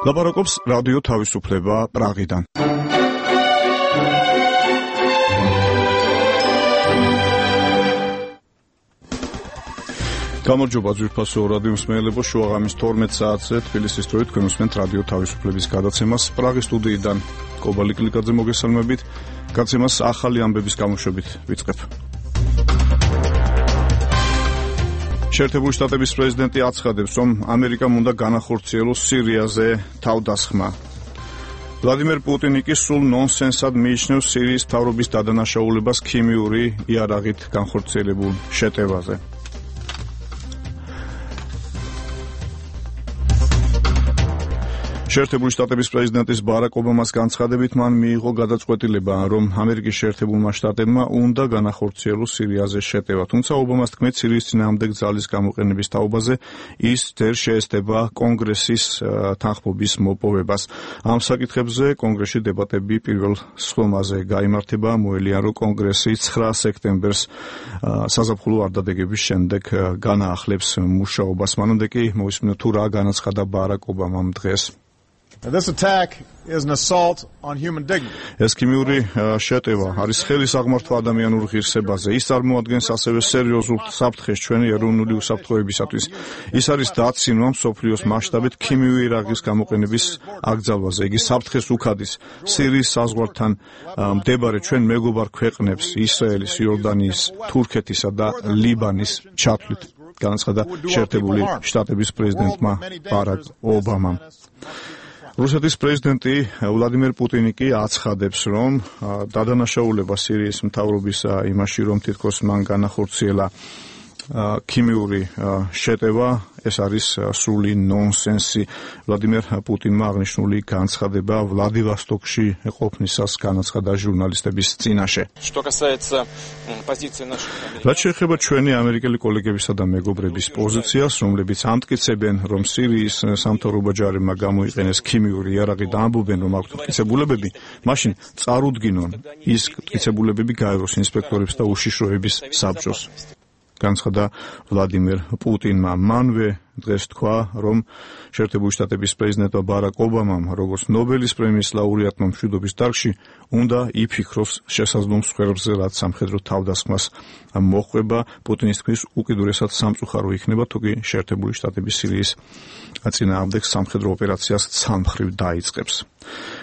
ლაპარაკობს რადიო თავისუფლება პრაღიდან. გამარჯობა ძვირფასო რადიო მსმენელებო, შუაღამის 12 საათზე თბილისის დროით თქვენ უსმენთ რადიო თავისუფლების გადაცემას პრაღის სტუდიიდან. კობალი კლიკაძე მოგესალმებით. გადაცემას ახალი ამბების გამოშვებით ვიწყებ. შეერთებული შტატების პრეზიდენტი აცხადებს, რომ ამერიკამ უნდა განახორციელოს სირიაზე თავდასხმა. ვლადიმერ პუტინი კი სულ ნონსენსად მიიჩნევს სირიის მთავრობის დადანაშაულებას ქიმიური იარაღით განხორციელებულ შეტევაზე. შეერთებული შტატების პრეზიდენტის ბარაკ ობამას განცხადებით მან მიიღო გადაწყვეტილება, რომ ამერიკის შეერთებულმა შტატებმა უნდა განახორციელოს სირიაზე შეტევა. თუმცა ობამას თქმით, სირიის წინააღმდეგ ძალის გამოყენების თაობაზე ის ვერ შეესწება კონგრესის თანხმობის მოპოვებას. ამ საკითხებზე კონგრესში დებატები პირველ სხდომაზე გაიმართება. მოელია, რომ კონგრესი 9 სექტემბერს საზაფხულო არდადეგების შემდეგ განაახლებს მუშაობას. მანამდე კი მოვისმინოთ თუ რა განაცხადა ბარაკ ობამამ დღეს. This attack is an assault on human dignity. ეს ქიმიური შეტევა არის ხელის აღმართვა ადამიანურ ღირსებაზე. ის წარმოადგენს ასევე სერიოზულ საფრთხეს ჩვენი ეროვნული უსაფრთხოებისათვის. ის არის დაცინვა მსოფლიოს მასშტაბით ქიმიური იარაღის გამოყენების აკრძალვაზე. იგი საფრთხეს უქადის სირიის საზღვართან მდებარე ჩვენ მეგობარ ქვეყნებს, ისრაელის, იორდანიის, თურქეთისა და ლიბანის ჩათვლით. განაცხადა შეერთებული შტატების პრეზიდენტმა ბარაკ ობამამ. რუსეთის პრეზიდენტი ვლადიმერ პუტინი კი აცხადებს, რომ დადანაშაულება სირიის მთავრობის იმაში, რომ თითქოს მან განახორციელა ქიმიური შეტევა, ეს არის სრული ნონსენსი. ვლადიმერ პუტინმა აღნიშნული განცხადება ვლადივოსტოკში ყოფნისას განაცხადა ჟურნალისტების წინაშე. რაც შეეხება ჩვენი ამერიკელი კოლეგებისა და მეგობრების პოზიციას, რომლებიც ამტკიცებენ, რომ სირიის სამთავრობო ჯარებმა გამოიყენეს ქიმიური იარაღი და ამბობენ, რომ აქვთ მტკიცებულებები, მაშინ წარუდგინონ ის მტკიცებულებები გაევროს ინსპექტორებს და უშიშროების საბჭოს. განცხადა ვლადიმერ პუტინმა. მანვე დღეს თქვა, რომ შეერთებული შტატების პრეზიდენტმა ბარაკ ობამამ, როგორც ნობელის პრემიის ლაურეატმა მშვიდობის დარგში, უნდა იფიქროს შესაძლო მსხვერპლზე, რაც სამხედრო თავდასხმას მოჰყვება. პუტინის თქმის, უკიდურესად სამწუხარო იქნება, თუ კი შეერთებული შტატების სირიის წინააღმდეგ სამხედრო ოპერაციას ცალმხრივ დაიწყებს.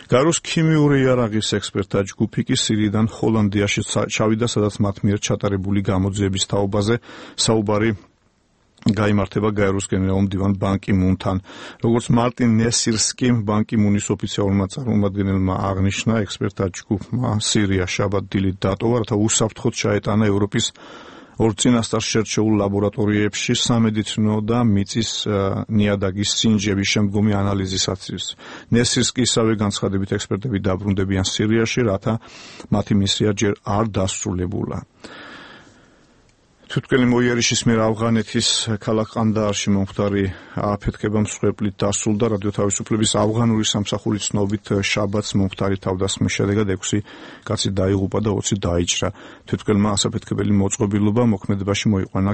გაეროს ქიმიური იარაღის ექსპერტთა ჯგუფი კი სირიიდან ჰოლანდიაში ჩავიდა, სადაც მათ მიერ ჩატარებული გამოძიების თაობაზე საუბარი გაიმართება გაეროს გენერალურ მდივან ბან კი მუნთან. როგორც მარტინ ნესირსკიმ ბან კი მუნის ოფიციალურმა წარმომადგენელმა აღნიშნა, ექსპერტთა ჯგუფმა სირია შაბათ-დილით დატოვა, რათა უსაფრთხოდ ჩაეტანა ევროპის ორ წინასწარ შერჩეულ ლაბორატორიებში სამედიცინო და მიწის ნიადაგის სინჯების შემდგომი ანალიზისათვის. ნესირსკი ისევე განცხადებით ექსპერტები დაბრუნდებიან სირიაში, რათა მათი მისია ჯერ არ დასრულებულა. თვითმკვლელი მოიერიშის მიერ ავღანეთის ქალაქ ყანდაარში მომხდარი აფეთქება მსხვერპლით დასრულდა. რადიო თავისუფლების ავღანური სამსახურის ცნობით შაბათს მომხდარი თავდასხმის შედეგად 6 კაცი დაიღუპა და 20 დაიჭრა. თვითმკვლელმა ასაფეთქებელი მოწყობილობა მოქმედებაში მოიყვანა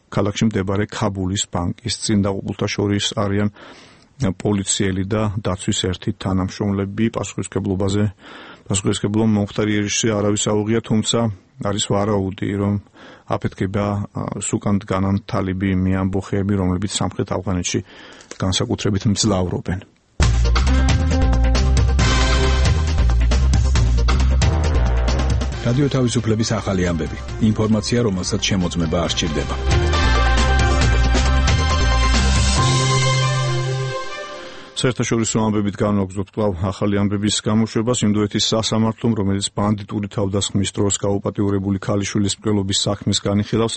ქალაქში მდებარე ქაბულის ბანკის წინ. დაღუპულთა შორის არიან პოლიციელი და დაცვის ერთი თანამშრომლები. პასუხისმგებლობა მომხდარი იერიშზე არავის აუღია, თუმცა არის ვარაუდი, რომ აფეთქება სუკან დგანან თალიბი მეამბოხეები, რომლებიც სამხრეთ ავღანეთში განსაკუთრებით მძლავრობენ. რადიო თავისუფლების ახალი ამბები. ინფორმაცია, რომელსაც შემოწმება არ სჭირდება. საერთაშორისო ამბებით განვაგრძობთ კვლავ ახალი ამბების გამოშვებას. ინდოეთის სასამართლომ, რომელიც ბანდიტური თავდასხმის დროს გაუპატიურებული ქალიშვილის მკვლელობის საქმეს განიხილავს,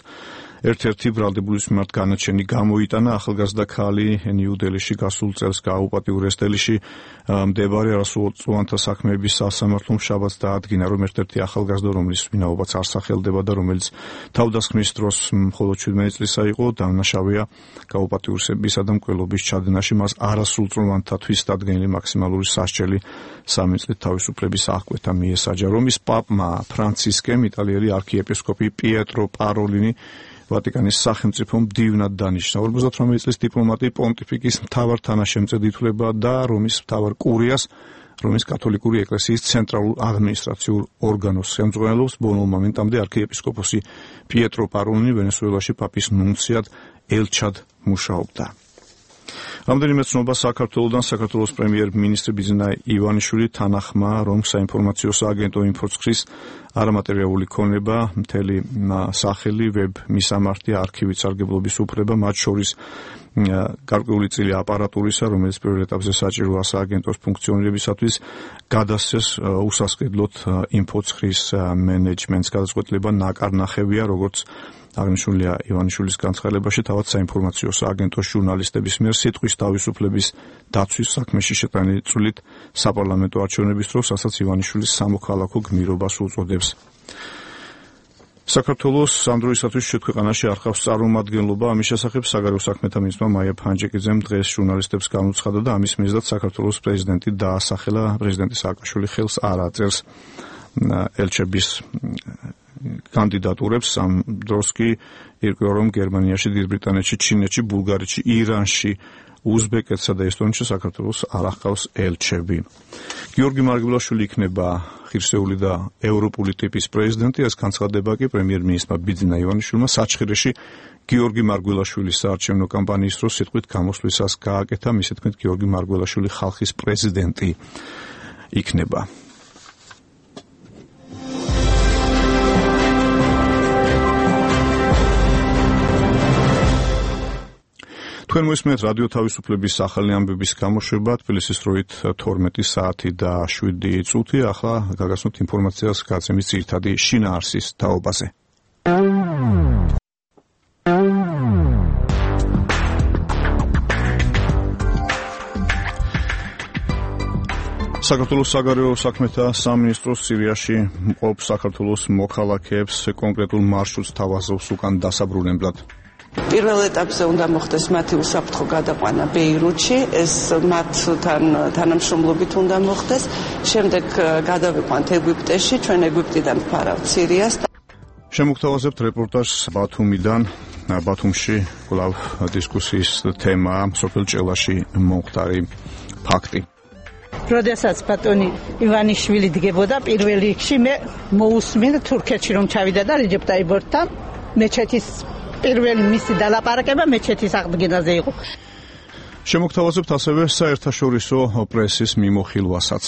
ერთ-ერთი ბრალდებულის მიმართ განაჩენი გამოიტანა. ახალგაზრდა ქალი ნიუ-დელიში გასულ წელს გააუპატიურეს. დელიში მდებარე არასრულწლოვანთა საქმეების სასამართლომ შაბათს დაადგინა, რომ ერთ-ერთი ახალგაზრდა, რომლის ვინაობაც არ სახელდება და რომელიც თავდასხმის დროს მხოლოდ 17 წლისა იყო, დამნაშავეა გაუპატიურებისა და მკვლელობის ჩადენაში. მას არასრულწლოვანთათვის დადგენილი მაქსიმალური სასჯელი 3 წლით თავისუფლების აღკვეთა მიესაჯა. რომის პაპმა ფრანცისკემ იტალიელი არქიეპისკოპი პიეტრო პაროლინი ვატიკანის სახელმწიფო მდივნად დანიშნა. 58 წლის დიპლომატი პონტიფიკის მთავარ თანაშემწედ ითვლება და რომის მთავარ კურიას, რომის კათოლიკური ეკლესიის ცენტრალურ ადმინისტრაციულ ორგანოს ხელმძღვანელობს. ბოლო მომენტამდე არქიეპისკოპოსი პიეტრო პაროლინი ვენესუელაში პაპის ნუნციად ელჩად მუშაობდა. რამდენიმე ცნობა საქართველოდან საქართველოს პრემიერ-მინისტრი ბიძინა ივანიშვილი თანახმა, რომ საინფორმაციო სააგენტო ინფოცხრის არამატერიალური ქონება, მთელი სახელი, ვებ მისამართი, არქივით სარგებლობის უფლება, მათ შორის გარკვეული წილი აპარატურისა, რომელიც პირველ ეტაპზე საჭიროა სააგენტოს ფუნქციონირებისათვის, გადასცეს უსასყიდლოდ ინფოცხრის მენეჯმენტს. გადაწყვეტილება ნაკარნახევია, როგორც აღნიშნულია ივანიშვილის განცხადებაში, თავად საინფორმაციო სააგენტოს ჟურნალისტების მიერ სიტყვის თავისუფლების დაცვის საქმეში შეტანილი წვლით საპარლამენტო არჩევნების დროს, რასაც ივანიშვილის სამოქალაქო გმირობას უწოდებს. საქართველოს ამ დროისათვის ქვეყანაში არ ჰყავს წარმომადგენლობა. ამის შესახებ საგარეო საქმეთა მინისტრმა მაია ფანჯიკიძემ დღეს ჟურნალისტებს განუცხადა და ამის მიზნად საქართველოს პრეზიდენტი დაასახელა. პრეზიდენტი სააკაშვილი ხელს არ აწერს ელჩების კანდიდატურებს. ამ დროს კი ირკვევა, რომ გერმანიაში, დიდ ბრიტანეთში, ჩინეთში, ბულგარეთში, ირანში, უზბეკეთსა და ესტონეთში საქართველოს არ ახავს ელჩები. გიორგი მარგველაშვილი იქნება ღირსეული და ევროპული ტიპის პრეზიდენტი. ეს განცხადება კი პრემიერ-მინისტრმა ბიძინა ივანიშვილმა საჩხერეში გიორგი მარგველაშვილის საარჩევნო კამპანიის დროს სიტყვით გამოსვლისას გააკეთა. მისი თქმით, გიორგი მარგველაშვილი ხალხის პრეზიდენტი იქნება. თქვენ მოისმენთ რადიო თავისუფლების ახალი ამბების გამოშვება თბილისის დროით 12 საათი და 7 წუთი. ახლა გაგაცნობთ ინფორმაციას გაცემის ძირითადი შინაარსის თაობაზე. საქართველოს საგარეო საქმეთა სამინისტროს სირიაში მყოფ საქართველოს მოქალაქეებს კონკრეტულ მარშრუტს თავაზობს უკან დასაბრუნებლად. პირველ ეტაპზე უნდა მოხდეს მათი უსაფრთხო გადაყვანა ბეირუთში, ეს მათთან თანამშრომლობით უნდა მოხდეს. შემდეგ გადავიყვანთ ეგვიპტეში, ჩვენ ეგვიპტიდან ვფარავთ სირიას. შემოგთავაზებთ რეპორტაჟს ბათუმიდან. ბათუმში კვლავ დისკუსიის თემაა სოფელ ჭელაში მომხდარი ფაქტი. როდესაც ბატონი ივანიშვილი დგებოდა პირველ რიგში, მე მოусმინე თურქეთში რომ ჩავიდა და რეჯეპ ტაიბორთან მეჩეთის პირველი მისი დალაპარაკება მეჩეთის აღდგენაზე იყო. შემოგთავაზებთ ასევე საერთაშორისო პრესის მიმოხილვასაც.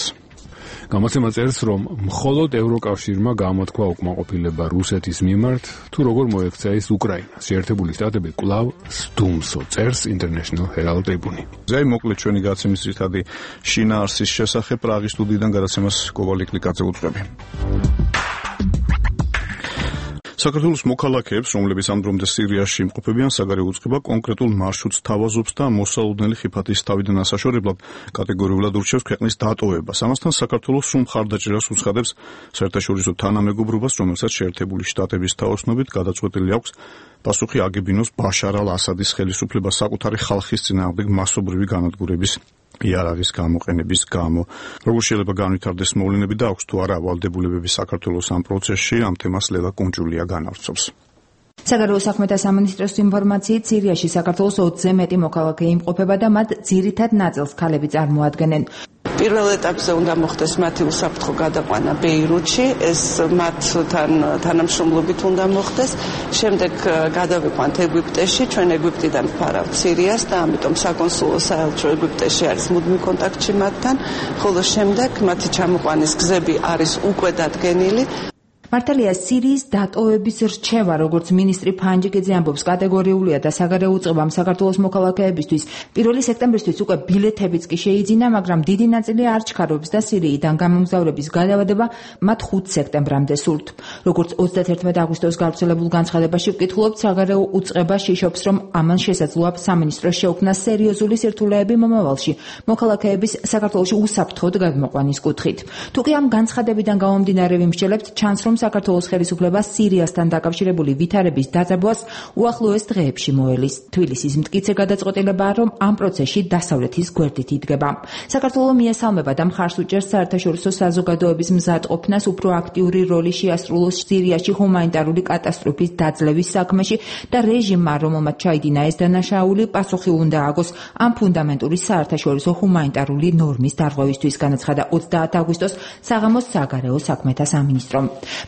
გამოცემა წერს, რომ მხოლოდ ევროკავშირმა გამოთქვა უკმაყოფილება რუსეთის მიმართ, თუ როგორ მოექცა ის უკრაინას. შეერთებული შტატები კვლავ სდუმსო, წერს International Herald Tribune. ზეი მოკლედ ჩვენი გაცემის ძირითადი შინაარსის შესახებ პრაღის სტუდიიდან გადაცემას კოვალ ლიკლიკაძე უწყები. საქართველოს მოქალაქეებს, რომლებიც ამ დრომდე სირიაში იმყოფებიან, საგარეო უწყება კონკრეტულ მარშრუტს თავაზობს და მოსალოდნელი ხიფათის თავიდან ასაშორებლად კატეგორიულად ურჩევს ქვეყნის დატოვებას. ამასთან საქართველოს სრულ მხარდაჭერას უცხადებს საერთაშორისო თანამეგობრობას, რომელსაც შეერთებული შტატების თაოსნობით გადაწყვეტილი აქვს პასუხი აგებინოს ბაშარ ალ-ასადის ხელისუფლებას საკუთარი ხალხის წინააღმდეგ მასობრივი განადგურების იარაღის გამოყენების გამო. როგორ შეიძლება განვითარდეს მოვლენები და აქვს თუ არა ვალდებულებები საქართველოს ამ პროცესში, ამ თემას ლელა კუნჯულია განავრცობს. საგარეო საქმეთა სამინისტროს ინფორმაციით, სირიაში საქართველოს 20-ზე მეტი მოქალაქე იმყოფება და მათ ძირითად ნაწილს ქალები წარმოადგენენ. პირველ ეტაპზე უნდა მოხდეს მათი უსაფრთხო გადაყვანა ბეირუთში, ეს მათთან თანამშრომლობით უნდა მოხდეს. შემდეგ გადავიყვანთ ეგვიპტეში, ჩვენ ეგვიპტიდან ვფარავთ სირიას და ამიტომ საკონსულო საელჩო ეგვიპტეში არის მუდმივ კონტაქტში მათთან, ხოლო შემდეგ მათი ჩამოყვანის გზები არის უკვე დადგენილი. მართალია სირიის დატოვების რჩევა, როგორც მინისტრი ფანჯიკიძე ამბობს, კატეგორიულია და საგარეო უწყებამ საქართველოს მოქალაქეებისთვის 1 სექტემბრისთვის უკვე ბილეთებიც კი შეიძინა, მაგრამ დიდი ნაწილი არ ჩქარობს და სირიიდან გამომგზავრების გადავადება მათ 5 სექტემბრამდე სურთ. როგორც 31 აგვისტოს გავრცელებულ განცხადებაში ვკითხულობთ, საგარეო უწყება შიშობს, რომ ამან შესაძლოა სამინისტროს შეუქმნა სერიოზული სირთულეები მომავალში მოქალაქეების საქართველოში უსაფრთხოდ გადმოყვანის კუთხით. თუ კი ამ განცხადებიდან გამომდინარე ვიმსჯელებთ, ჩანს, რომ საქართველოს ხელისუფლება სირიასთან დაკავშირებული ვითარების დაძაბვას უახლოეს დღეებში მოელის. თბილისის მტკიცე გადაწყვეტილებაა, რომ ამ პროცესში დასავლეთის გვერდით იდგება. საქართველო მიესალმება და მხარს უჭერს საერთაშორისო საზოგადოების მზადყოფნას უფრო აქტიური როლი შეასრულოს სირიაში ჰუმანიტარული კატასტროფის დაძლევის საქმეში და რეჟიმმა, რომელმაც ჩაიდინა ეს დანაშაული, პასუხი უნდა აგოს ამ ფუნდამენტური საერთაშორისო ჰუმანიტარული ნორმის დარღვევისთვის, განაცხადა 30 აგვისტოს საღამოს საგარეო საქმეთა სამინისტრომ.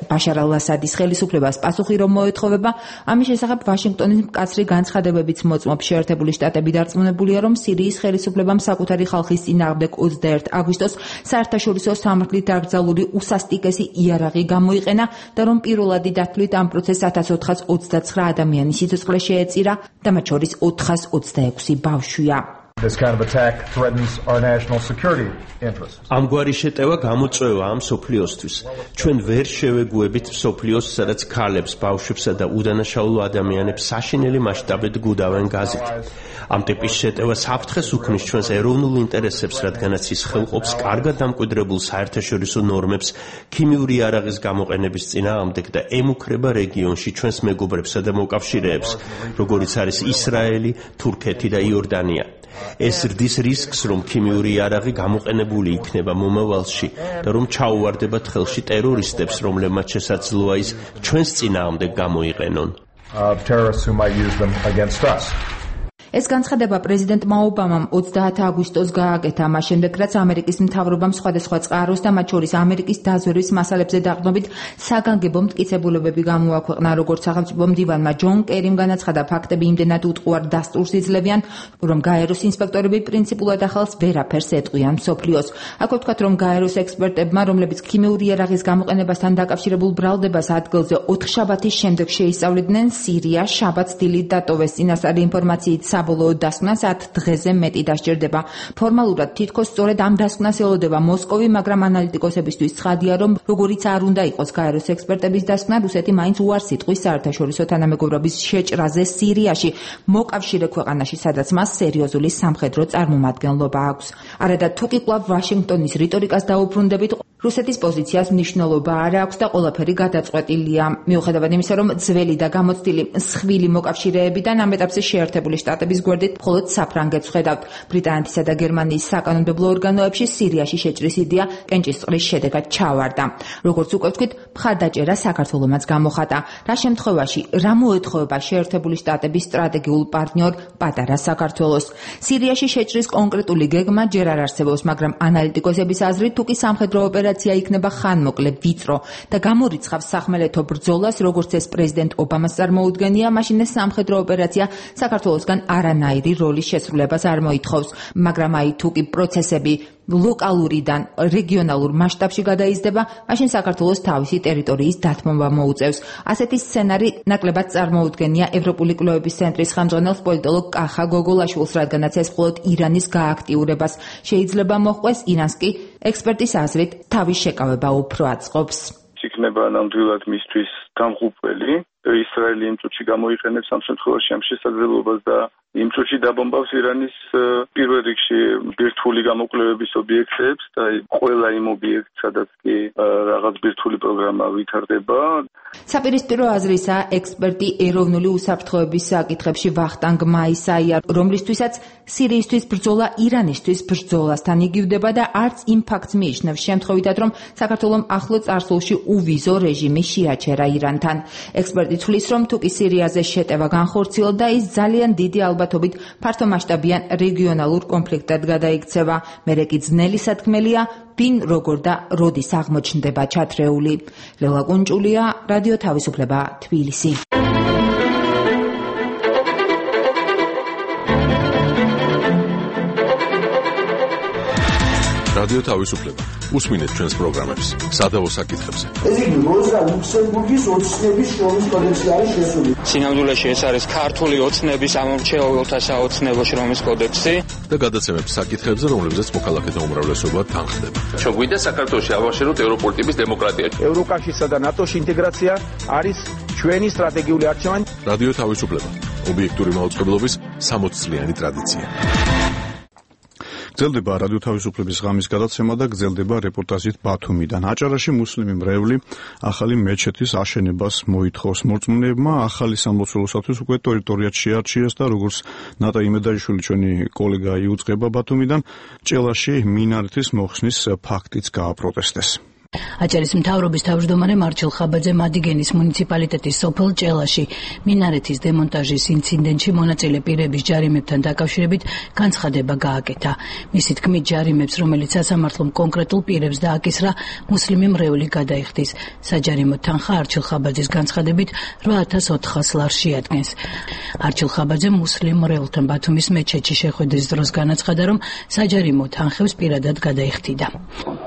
ბაშარ ალ-ასადის ხელისუფლებას პასუხი რომ მოეთხოვება, ამის შესახებ ვაშინგტონის მკაცრი განცხადებებიც მოწმობს. შეერთებული შტატები დარწმუნებულია, რომ სირიის ხელისუფლებამ საკუთარი ხალხის წინააღმდეგ 21 აგვისტოს საერთაშორისო სამართლით დაკრძალული უსასტიკესი იარაღი გამოიყენა და რომ პირველადი დათვლით ამ პროცესს 1429 ადამიანის სიცოცხლე შეეწირა და მათ შორის 426 ბავშვია. This kind of attack threatens our national security interests. ამგვარი შეტევა გამოწვევა ამ სოფლიოსთვის. ჩვენ ვერ შევეგუებით სოფლიოს, სადაც ქალებს, ბავშვებსა და უდანაშაულო ადამიანებს საშინელი მასშტაბით გუდავენ გაზით. ამ ტიპის შეტევა საფრთხეს უქმნის ჩვენს ეროვნულ ინტერესებს, რადგანაც ის ხელყოფს კარგად დამკვიდრებულ საერთაშორისო ნორმებს ქიმიური იარაღის გამოყენების წინააღმდეგ და ემუქრება რეგიონში ჩვენს მეგობრებსა და მოკავშირეებს, როგორიც არის ისრაელი, თურქეთი და იორდანია. ეს ზრდის რისკს, რომ ქიმიური იარაღი გამოყენებული იქნება მომავალში და რომ ჩაუვარდებათ ხელში ტერორისტებს, რომლებმაც შესაძლოა ის ჩვენს წინააღმდეგ გამოიყენონ. Terrorists who might use them against us. ეს განცხადება პრეზიდენტმა ობამამ 30 აგვისტოს გააკეთა, მას შემდეგ რაც ამერიკის მთავრობამ სხვადასხვა წყაროს და მათ შორის ამერიკის დაზვერვის მასალებზე დაყრდნობით საგანგებო მტკიცებულებები გამოაქვეყნა, როგორც სახელმწიფო მდივანმა ჯონ კერიმ განაცხადა, ფაქტები იმდენად უტყუარ დასტურს იძლევიან, რომ გაეროს ინსპექტორები პრინციპულად ახალს ვერაფერს ეტყვიან მსოფლიოს. აქ ვთქვათ, რომ გაეროს ექსპერტებმა, რომლებიც ქიმიური იარაღის გამოყენებასთან დაკავშირებულ ბრალდებას ადგილზე 4 შაბათის შემდეგ შეისწავლიდნენ, სირია შაბათს დილით დატოვეს. წინასწარი ინფორმაციით საბოლოო დასკვნა 10 დღეზე მეტი დასჭირდება. ფორმალურად თითქოს სწორედ ამ დასკვნას ელოდება მოსკოვი, მაგრამ ანალიტიკოსებისთვის ცხადია, რომ როგორიც არ უნდა იყოს გაეროს ექსპერტების დასკვნა, რუსეთი მაინც უარს იტყვის საერთაშორისო თანამეგობრობის შეჭრაზე სირიაში, მოკავშირე ქვეყანაში, სადაც მას სერიოზული სამხედრო წარმომადგენლობა აქვს. არადა თუ კი კვლავ ვაშინგტონის რიტორიკას დაუბრუნდებით, რუსეთის პოზიციას მნიშვნელობა არ აქვს და ყველაფერი გადაწყვეტილია. მიუხედავად იმისა, რომ ძველი და გამოცდილი მსხვილი მოკავშირეებიდან ამ ეტაპზე შეერთებული შტატების გვერდით მხოლოდ საფრანგეთს ხედავთ. ბრიტანეთისა და გერმანიის საკანონმდებლო ორგანოებში სირიაში შეჭრის იდეა კენჭისყრის შედეგად ჩავარდა. როგორც უკვე ვთქვით, მხარდაჭერა საქართველომაც გამოხატა. რა შემთხვევაში, რა მოეთხოვება შეერთებული შტატების სტრატეგიულ პარტნიორ პატარა საქართველოს? სირიაში შეჭრის კონკრეტული გეგმა ჯერ არ არსებობს, მაგრამ ანალიტიკოსების აზრით, თუ კი სამხედრო ოპერაცია იქნება ხანმოკლე, ვიწრო და გამორიცხავს სახმელეთო ბრძოლას, როგორც ეს პრეზიდენტ ობამას წარმოუდგენია, მაშინ ეს სამხედრო ოპერაცია საქართველოსგან არანაირი როლის შესრულებას არ მოითხოვს, მაგრამ აი თუ კი პროცესები ლოკალურიდან რეგიონალურ მასშტაბში გადაიზრდება, მაშინ საქართველოს თავისი ტერიტორიის დათმობა მოუწევს. ასეთი სცენარი ნაკლებად წარმოუდგენია ევროპული კვლევების ცენტრის ხელმძღვანელს პოლიტოლოგ კახა გოგოლაშვილს, რადგანაც ეს მხოლოდ ირანის გააქტიურებას შეიძლება მოჰყვეს, ირანს კი ექსპერტის აზრით თავის შეკავება უფრო აწყობს. იქნება ნამდვილად მისთვის დამღუპველი. ისრაელი იმ წუთში გამოიყენებს ამ შემთხვევაში ამ შესაძლებლობას და იმ წუთში დაბომბავს ირანის პირველ რიგში ბირთვული გამოკვლევების ობიექტებს და ყველა იმ ობიექტს, სადაც კი რაღაც ბირთვული პროგრამა ვითარდება. საპირისპირო აზრისაა ექსპერტი ეროვნული უსაფრთხოების საკითხებში ვახტანგ მაისაია, რომლისთვისაც სირიისთვის ბრძოლა ირანისთვის ბრძოლასთან იგივდება და არც იმ ფაქტს მიიჩნევს შემთხვევითად, რომ საქართველომ ახლო წარსულში უვიზო რეჟიმი შეაჩერა ირანთან. ექსპერტი თვლის, რომ თუ კი სირიაზე შეტევა განხორციელდა, ის ძალიან დიდი ალბათობით ფართომასშტაბიან რეგიონალურ კონფლიქტად გადაიქცევა. მერე კი ძნელი სათქმელია, ვინ როგორ და როდის აღმოჩნდება ჩათრეული. ლელა კუნჭულია, რადიო თავისუფლება, თბილისი. რადიო თავისუფლება. უსმინეთ ჩვენს პროგრამებს სადავო საკითხებზე. ეს იგი როზა ლუქსემბურგის ოცნების შრომის კოდექსი არის შესული. სინამდვილეში ეს არის ქართული ოცნების ამომრჩეველთა საოცნებო შრომის კოდექსი და გადაცემებს საკითხებზე, რომლებზეც მოქალაქეთა უმრავლესობა თანხდება. ჩოგვიდა საქართველოში ავაშენოთ ევროპული ტიპის დემოკრატია. ევროკავშირსა და ნატოში ინტეგრაცია არის ჩვენი სტრატეგიული არჩევანი. რადიო თავისუფლება. ობიექტური მაუწყებლობის 60 წლიანი ტრადიცია. გრძელდება რადიო თავისუფლების ღამის გადაცემა და გრძელდება რეპორტაჟით ბათუმიდან. აჭარაში მუსლიმი მრევლი ახალი მეჩეთის აშენებას მოითხოვს მორწმუნეებმა. ახალი სამლოცველოსათვის უკვე ტერიტორიაც შეარჩიეს და როგორც ნატა იმედაიშვილი ჩვენი კოლეგა იუწყება ბათუმიდან, ჭელაში მინარეთის მოხსნის ფაქტიც გააპროტესტეს. აჭარის მთავრობის თავმჯდომარე მარჩილ ხაბაძე მადიგენის მუნიციპალიტეტის სოფელ ჭელაში მინარეთის დემონტაჟის ინციდენტში მონაწილე პირების ჯარიმებთან დაკავშირებით განცხადება გააკეთა. მისი თქმით, ჯარიმებს, რომელიც სასამართლომ კონკრეტულ პირებს დააკისრა, მუსლიმი მრევლი გადაიხდის. საჯარიმო თანხა არჩილ ხაბაძის განცხადებით 8400 ლარს შეადგენს. არჩილ ხაბაძე მუსლიმ მრევლთან ბათუმის მეჩეთში შეხვედრის დროს განაცხადა, რომ საჯარიმო თანხებს პირადად გადაიხდიდა.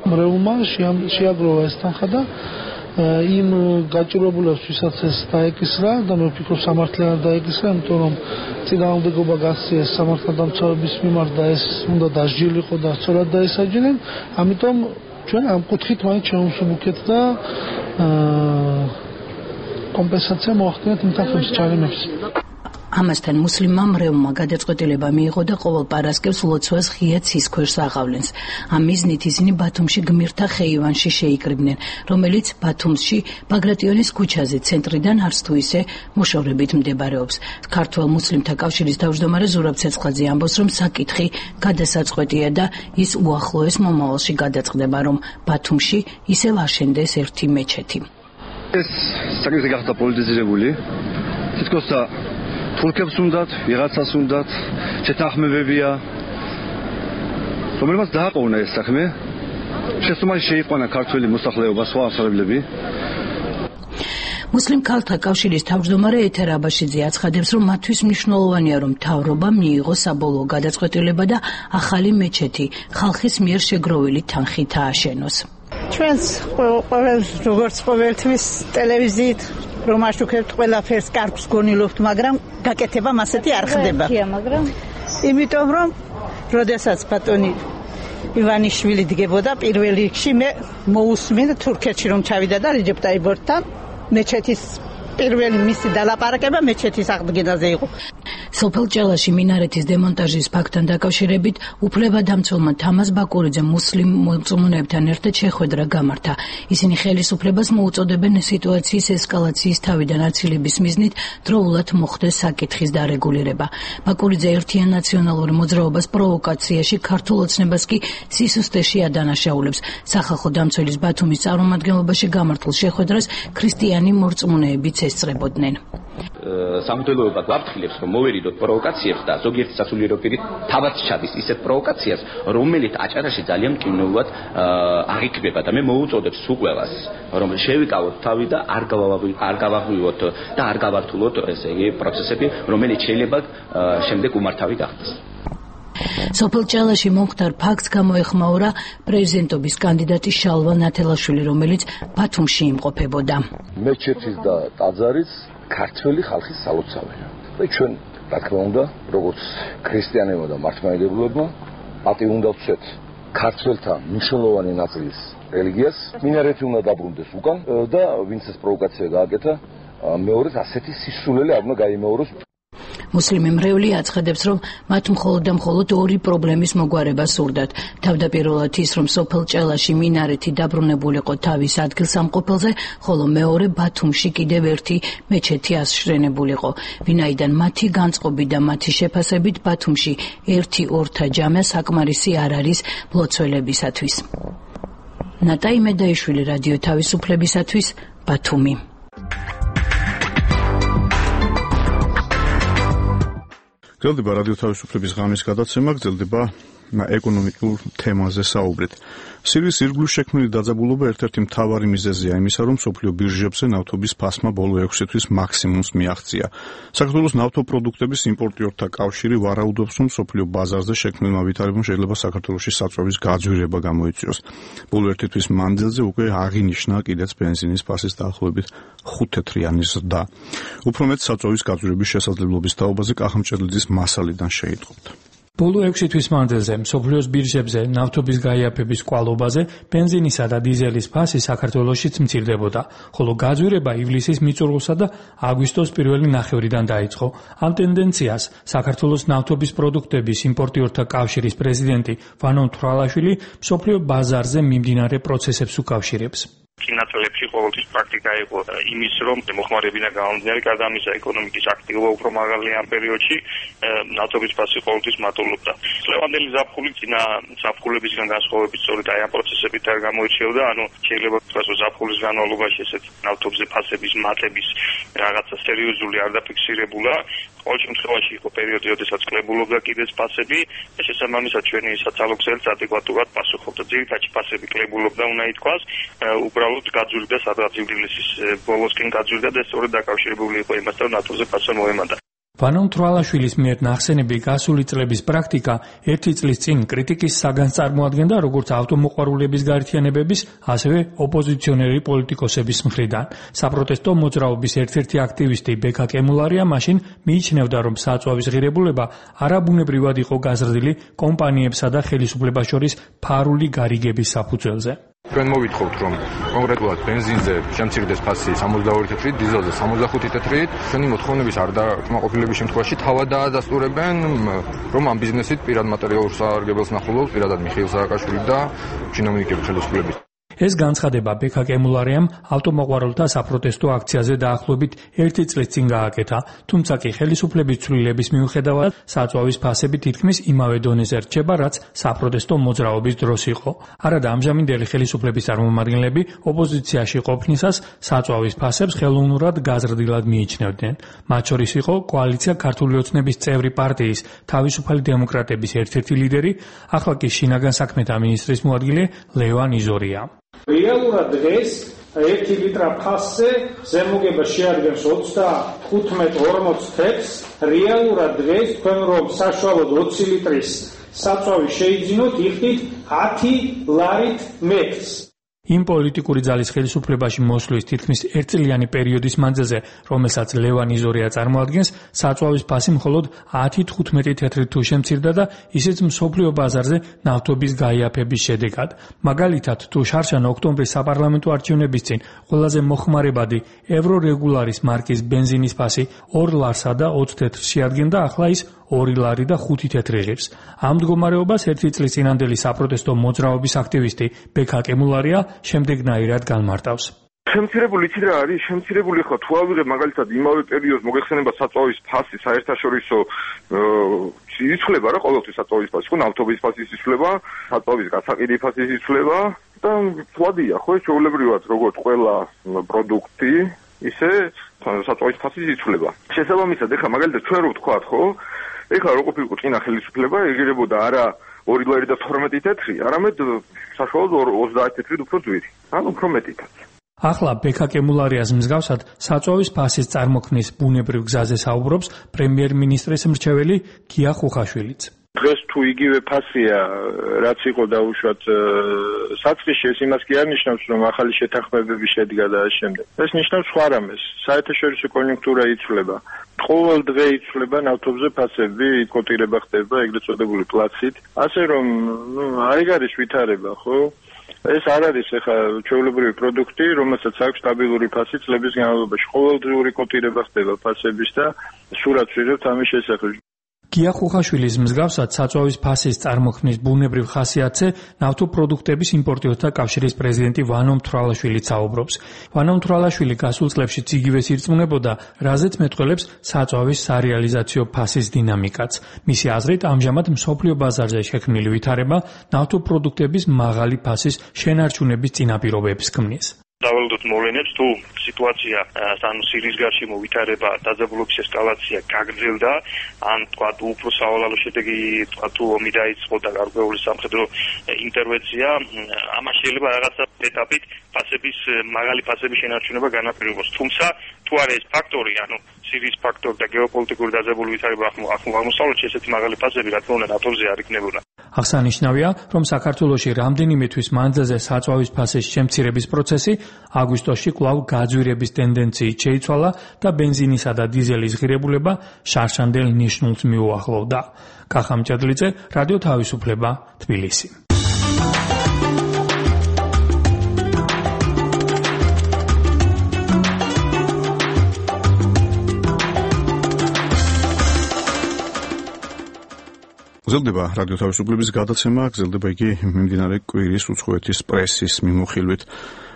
მრევლმა შეაგროვა ეს თანხა და იმ გაჭირვებულებს, ვისაც ეს დაეკისრა და მე ვფიქრობ სამართლიანად დაეკისრა, იმიტომ რომ წინააღმდეგობა გასცეს სამართალდამცავების მიმართ და ეს უნდა დასჯილიყო და სწორად დაესაჯნენ, ამიტომ ჩვენ ამ კუთხით მაინც შევუსუბუქეთ და კომპენსაცია მოახდინეთ იმ თანხების ჯარიმებს. ამასთან მუსლიმმა მრევლმა გადაწყვეტილება მიიღო და ყოველ პარასკევს ლოცვას ღია ცის ქვეშ აღავლენს. ამ მიზნით ისინი ბათუმში გმირთა ხეივანში შეიკრიბნენ, რომელიც ბათუმში ბაგრატიონის ქუჩაზე ცენტრიდან არც თუ ისე მოშორებით მდებარეობს. ქართველ მუსლიმთა კავშირის თავმჯდომარე ზურაბ ცეცხლაძე ამბობს, რომ საკითხი გადასაწყვეტია და ის უახლოეს მომავალში გადაწყდება, რომ ბათუმში ისევ აშენდეს ერთი მეჩეთი. ეს საკითხი გახდა პოლიტიზირებული. თითქოს თურქებს უნდათ, ვიღაცას უნდათ, შეთანხმებებია, რომელმაც დააყოვნა ეს საქმე. შესაბამისად შეიყვანა ქართველი მოსახლეობა, სხვა ასწავლებლები. მუსლიმ ქალთა კავშირის თავმჯდომარე ეთერ აბაშიძე აცხადებს, რომ მათთვის მნიშვნელოვანია, რომ მთავრობამ მიიღოს საბოლოო გადაწყვეტილება და ახალი მეჩეთი ხალხის მიერ შეგროვილი თანხით ააშენოს. ჩვენს როგორც ყოველთვის ტელევიზიით რომ აშუქებთ ყველაფერს კარგს გონილობთ, მაგრამ გაკეთება მასეთი არ ხდება. იმიტომ რომ როდესაც ბატონი ივანიშვილი დგებოდა პირველ რიგში, მე მოусმენ თურქეთში რომ ჩავიდა და რეჯეპ ტაიბორთან მეჩეთის პირველი მისი დალაპარაკება მეჩეთის აღდგენაზე იყო. სოფელ ჭელაში მინარეთის დემონტაჟის ფაქტთან დაკავშირებით უფლებადამცველმა თამაზ ბაკურიძემ მუსლიმ მოწმუნეებთან ერთად შეხვედრა გამართა. ისინი ხელისუფლებას მოუწოდებენ სიტუაციის ესკალაციის თავიდან აცილების მიზნით დროულად მოხდეს საკითხის დარეგულირება. ბაკურიძე ერთიან ნაციონალურ მოძრაობას პროვოკაციაში, ქართულ ოცნებას კი სისუსტეში ადანაშაულებს. სახალხო დამცველის ბათუმის წარმომადგენლობაში გამართულ შეხვედრას ქრისტიანი მოწმუნეებიც ესწრებოდნენ. სამღვდელოება გვაფრთხილებს, რომ მოვერიდოთ პროვოკაციებს და ზოგიერთი სასულიერო პირი თავად ჩადის ისეთ პროვოკაციას, რომელიც აჭარაში ძალიან მკინნეულად აღიქმება და მე მოუწოდებ სულ ყველას, რომ შევიკავოთ თავი და არ გავაღვივოთ და არ გავართულოთ ესე იგი პროცესები, რომელიც შეიძლება შემდეგ უმართავი გახდეს. სოფელ ჭელაში მომხდარ ფაქტს გამოეხმაურა პრეზიდენტობის კანდიდატი შალვა ნათელაშვილი, რომელიც ბათუმში იმყოფებოდა. მეჩეთის და ტაძარის ქართველი ხალხის სალოცავია. და ჩვენ, რა თქმა უნდა, როგორც ქრისტიანებმა და მართლმადიდებლებმა, პატივი უნდა ვცეთ ქართველთა მნიშვნელოვანი ნაწილის რელიგიას, მინარეთი უნდა დაბრუნდეს უკან და ვინც ეს პროვოკაცია გააკეთა, მეორედ ასეთი სისულელე არ უნდა გაიმეოროს. მუსლიმი მრევლი აცხადებს, რომ მათ მხოლოდ და მხოლოდ ორი პრობლემის მოგვარება სურდათ. თავდაპირველად ის, რომ სოფელ ჭელაში მინარეთი დაბრუნებულიყო თავის ადგილსამყოფელზე, ხოლო მეორე ბათუმში კიდევ ერთი მეჩეთი აშენებულიყო. ვინაიდან მათი განწყობით და მათი შეფასებით ბათუმში ერთი ორთა ჯამე საკმარისი არ არის მლოცველებისათვის. ნატა იმედაიშვილი, რადიო თავისუფლებისათვის, ბათუმი. გრძელდება რადიო თავისუფლების ღამის გადაცემა, გრძელდება ეკონომიკურ თემაზე საუბრით. სირიის ირგვლივ შექმნილი დაძაბულობა ერთ-ერთი მთავარი მიზეზია იმისა, რომ მსოფლიო ბირჟებზე ნავთობის ფასმა ბოლო 6 თვის მაქსიმუმს მიაღწია. საქართველოს ნავთობპროდუქტების იმპორტიორთა კავშირი ვარაუდობს, რომ მსოფლიო ბაზარზე შექმნილმა ვითარებამ შეიძლება საქართველოში საწვევის გაძვირება გამოიწვიოს. ბოლო 1 თვის მანძილზე უკვე აღინიშნა კიდეც ბენზინის ფასის დაახლოებით 5 თეთრიანი ზრდა. უფრო მეტ საწვევის გაძვირების შესაძლებლობის თაობაზე კახა მჭედლიძის მასალიდან შეიტყობთ. ბოლო 6 თვის მანძილზე მსოფლიოს ბირჟებზე ნავთობის გაიაფების კვალობაზე ბენზინისა და დიზელის ფასი საქართველოშიც მცირდებოდა, ხოლო გაძვირება ივლისის მიწურულსა და აგვისტოს პირველი ნახევრიდან დაიწყო. ამ ტენდენციას საქართველოს ნავთობის პროდუქტების იმპორტიორთა კავშირის პრეზიდენტი ვანო თვრალაშვილი მსოფლიო ბაზარზე მიმდინარე პროცესებს უკავშირებს. წინაწლებში ყოველთვის პრაქტიკა იყო იმის, რომ მოხმარებინა გამომდინარე გარდა ამისა ეკონომიკის აქტივობა უფრო მაღალია ამ პერიოდში, ნავთობის ფასი ყოველთვის მატულობდა. ლევანდელი ზაფხული წინა ზაფხულებისგან განსხვავებით სწორედ აი ამ პროცესებით არ გამოირჩეოდა, ანუ შეიძლება ვთქვას, რომ ზაფხულის განმავლობაში ესეთ ნავთობზე ფასების მატების რაღაცა სერიოზული არ დაფიქსირებულა. ყოველ შემთხვევაში იყო პერიოდი, როდესაც კლებულობდა კიდეც ფასები და შესაბამისად ჩვენი საცალო გზელიც ადეკვატურად პასუხობდა. ძირითადად ფასები კლებულობდა უნდა ითქვას, უბრალოდ გაძვირდა სადღაც ივლისის ბოლოსკენ გაძვირდა და სწორედ დაკავშირებული იყო იმასთან, რომ ნავთობზე ფასი მოემატა. ვანო თვრალაშვილის მიერ ნახსენები გასული წლების პრაქტიკა ერთი წლის წინ კრიტიკის საგანს წარმოადგენდა როგორც ავტომოყვარულების გაერთიანებების, ასევე ოპოზიციონერი პოლიტიკოსების მხრიდან. საპროტესტო მოძრაობის ერთ-ერთი აქტივისტი ბექა კემულარია მაშინ მიიჩნევდა, რომ საწვავის ღირებულება არაბუნებრივად იყო გაზრდილი კომპანიებსა და ხელისუფლებას შორის ფარული გარიგების საფუძველზე. ჩვენ მოვითხოვთ, რომ კონკრეტულად ბენზინზე შემცირდეს ფასი 62 თეთრით, დიზელზე 65 თეთრით. ჩვენი მოთხოვნების არ დაკმაყოფილების შემთხვევაში თავად დაადასტურებენ, რომ ამ ბიზნესით პირად მატერიალურ სარგებელს ნახულობს პირადად მიხეილ სააკაშვილი და ჩინოვნიკები ხელისუფლების. ეს განცხადება ბექა კემულარიამ ავტომოყვარულთა საპროტესტო აქციაზე დაახლოებით 1 წლის წინ გააკეთა, თუმცა კი ხელისუფლების ცვლილების მიუხედავად საწვავის ფასები თითქმის იმავე დონეზე რჩება, რაც საპროტესტო მოძრაობის დროს იყო. არადა ამჟამინდელი ხელისუფლების წარმომადგენლები ოპოზიციაში ყოფნისას საწვავის ფასებს ხელოვნურად გაზრდილად მიიჩნევდნენ. მათ შორის იყო კოალიცია ქართული ოცნების წევრი პარტიის თავისუფალი დემოკრატების ერთ-ერთი ლიდერი, ახლა კი შინაგან საქმეთა მინისტრის მოადგილე ლევან იზორია. რეალურად დღეს 1 ლიტრა ფასზე ზემოგება შეადგენს 35-40 თეთრს. რეალურად დღეს თქვენ რომ საშუალოდ 20 ლიტრის საწვავი შეიძინოთ, იხდით 10 ლარით მეტრს. იმ პოლიტიკური ძალის ხელისუფლებაში მოსვლის თითქმის ერთწლიანი პერიოდის მანძილზე, რომელსაც ლევან იზორია წარმოადგენს, საწვავის ფასი მხოლოდ 10-15 თეთრით თუ შემცირდა და ისიც მსოფლიო ბაზარზე ნავთობის გაიაფების შედეგად. მაგალითად, თუ შარშან ოქტომბრის საპარლამენტო არჩევნების წინ ყველაზე მოხმარებადი ევრორეგულარის მარკის ბენზინის ფასი 2 ლარსა და 20 თეთრს შეადგენდა, ახლა ის 2 ლარი და 5 თეთრი ღირს. ამ მდგომარეობას 1 წლის წინანდელი საპროტესტო მოძრაობის აქტივისტი ბექა კემულარია შემდეგნაირად განმარტავს. შემცირებული იცი რა არის? შემცირებული ხო თუ ავიღებ მაგალითად იმავე პერიოდს მოგეხსენება საწვავის ფასი საერთაშორისო იცვლება რა ყოველთვის საწვავის ფასი, ხო ნავთობის ფასის იცვლება, საწვავის გასაყიდი ფასის იცვლება და თვადია ხო ჩვეულებრივად როგორც ყველა პროდუქტი ისე საწვავის ფასის იცვლება. შესაბამისად ეხლა მაგალითად ჩვენ რო ვთქვათ ხო ეხლა რო ყოფილიყო წინა ხელისუფლება ეგირებოდა არა 2 ლარი და 12 თეთრი, არამედ საშუალოდ 30 თეთრით უფრო ძვირი. ან უფრო მეტითაც. ახლა ბექა კემულარიას მსგავსად საწვავის ფასის წარმოქმნის ბუნებრივ გზაზე საუბრობს პრემიერ-მინისტრის მრჩეველი გია ხუხაშვილიც. დღეს თუ იგივე ფასია, რაც იყო დაუშვათ საწყისში, ეს იმას კი არ ნიშნავს, რომ ახალი შეთანხმებები შედგა და ამ შემდეგ. ეს ნიშნავს სხვა რამეს. საერთაშორისო კონიუნქტურა იცვლება. ყოველ დღე იცვლება ნავთობზე ფასები, კოტირება ხდება ეგრეთ წოდებული პლაცით. ასე რომ, არ არის ვითარება, ხო? ეს არ არის ახლა ჩვეულებრივი პროდუქტი, რომელსაც აქვს სტაბილური ფასი წლების განმავლობაში. ყოველდღიური კოტირება ხდება ფასების და სურათს ვიღებთ ამის შესახებ. გია ხუხაშვილის მსგავსად საწვავის ფასის წარმოქმნის ბუნებრივ ხასიათზე ნავთობპროდუქტების იმპორტიორთა კავშირის პრეზიდენტი ვანო თვრალაშვილიც საუბრობს. ვანო თვრალაშვილი გასულ წლებშიც იგივეს ირწმუნებოდა, რაზეც მეტყველებს საწვავის სარეალიზაციო ფასის დინამიკაც. მისი აზრით, ამჟამად მსოფლიო ბაზარზე შექმნილი ვითარება ნავთობპროდუქტების მაღალი ფასის შენარჩუნების წინაპირობებს ქმნის. დავალდოთ მოვლენებს თუ სიტუაცია ანუ სირიის გარშემო ვითარება დაძაბულობის ესკალაცია გაგრძელდა ან თქვა უფრო სავალალო შედეგი თქვა თუ ომი დაიწყო და გარკვეული სამხედრო ინტერვენცია ამას შეიძლება რაღაცა ეტაპით ფასების მაღალი ფასების შენარჩუნება განაპირობოს. თუმცა თუ არის ეს ფაქტორი, ანუ სირიის ფაქტორი და გეოპოლიტიკური დაძაბული ვითარება აღმოსავლეთში, ესეთი მაღალი ფასები რა თქმა უნდა ნატოზე არ იქნებოდა. აღსანიშნავია, რომ საქართველოში რამდენიმე თვის მანძილზე საწვავის ფასის შემცირების პროცესი აგვისტოში კვლავ გაძვირების ტენდენციით შეიცვალა და ბენზინისა და დიზელის ღირებულება შარშანდელ ნიშნულს მიუახლოვდა. კახა მჭედლიძე, რადიო თავისუფლება, თბილისი. გრძელდება რადიო თავისუფლების გადაცემა, გრძელდება იგი მიმდინარე კვირის უცხოეთის პრესის მიმოხილვით.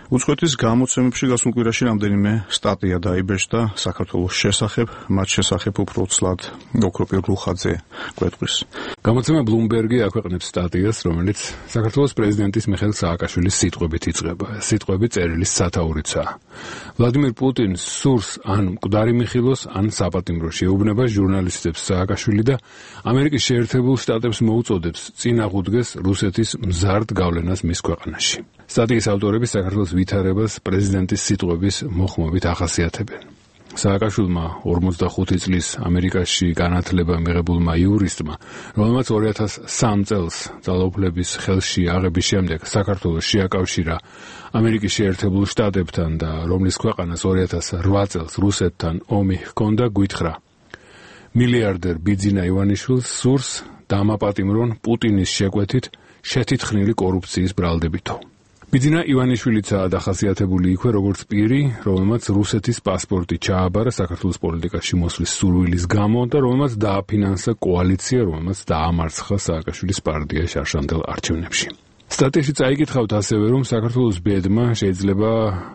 უცხოეთის გამოცემებში გასულ კვირაში რამდენიმე სტატია დაიბეჭდა საქართველოს შესახებ, მათ შესახებ უფრო ცლად ოქროპირ ლუხაძე გვეტყვის. გამოცემა Bloomberg-ი აქვეყნებს სტატიას, რომელიც საქართველოს პრეზიდენტის მიხეილ სააკაშვილის სიტყვებით იწყება. სიტყვები წერილის სათაურიცაა. ვლადიმირ პუტინს სურს ან მკვდარი მიხილოს, ან საპატიმრო შეუბნება ჟურნალისტებს სააკაშვილი და ამერიკის შეერთებულ შტატებს მოუწოდებს წინ აღუდგეს რუსეთის მზარდ გავლენას მის ქვეყანაში. სტატიის ავტორები საქართველოს ვითარებას პრეზიდენტის სიტყვების მოხმობით ახასიათებენ. სააკაშვილმა 45 წლის ამერიკაში განათლება მიღებულმა იურისტმა, რომელმაც 2003 წელს ძალაუფლების ხელში აღების შემდეგ საქართველოს შეაკავშირა ამერიკის შეერთებულ შტატებთან და რომლის ქვეყანას 2008 წელს რუსეთთან ომი ჰქონდა, გვითხრა მილიარდერ ბიძინა ივანიშვილს სურს დამაპატიმრონ პუტინის შეკვეთით შეთითხნილი კორუფციის ბრალდებითო. ბიძინა ივანიშვილიცაა დახასიათებული იქვე როგორც პირი, რომელმაც რუსეთის პასპორტი ჩააბარა საქართველოს პოლიტიკაში მოსვლის სურვილის გამო და რომელმაც დააფინანსა კოალიცია, რომელმაც დაამარცხა სააკაშვილის პარტია შარშანდელ არჩევნებში. სტატიაში წაიკითხავთ ასევე, რომ საქართველოს ბედმა შეიძლება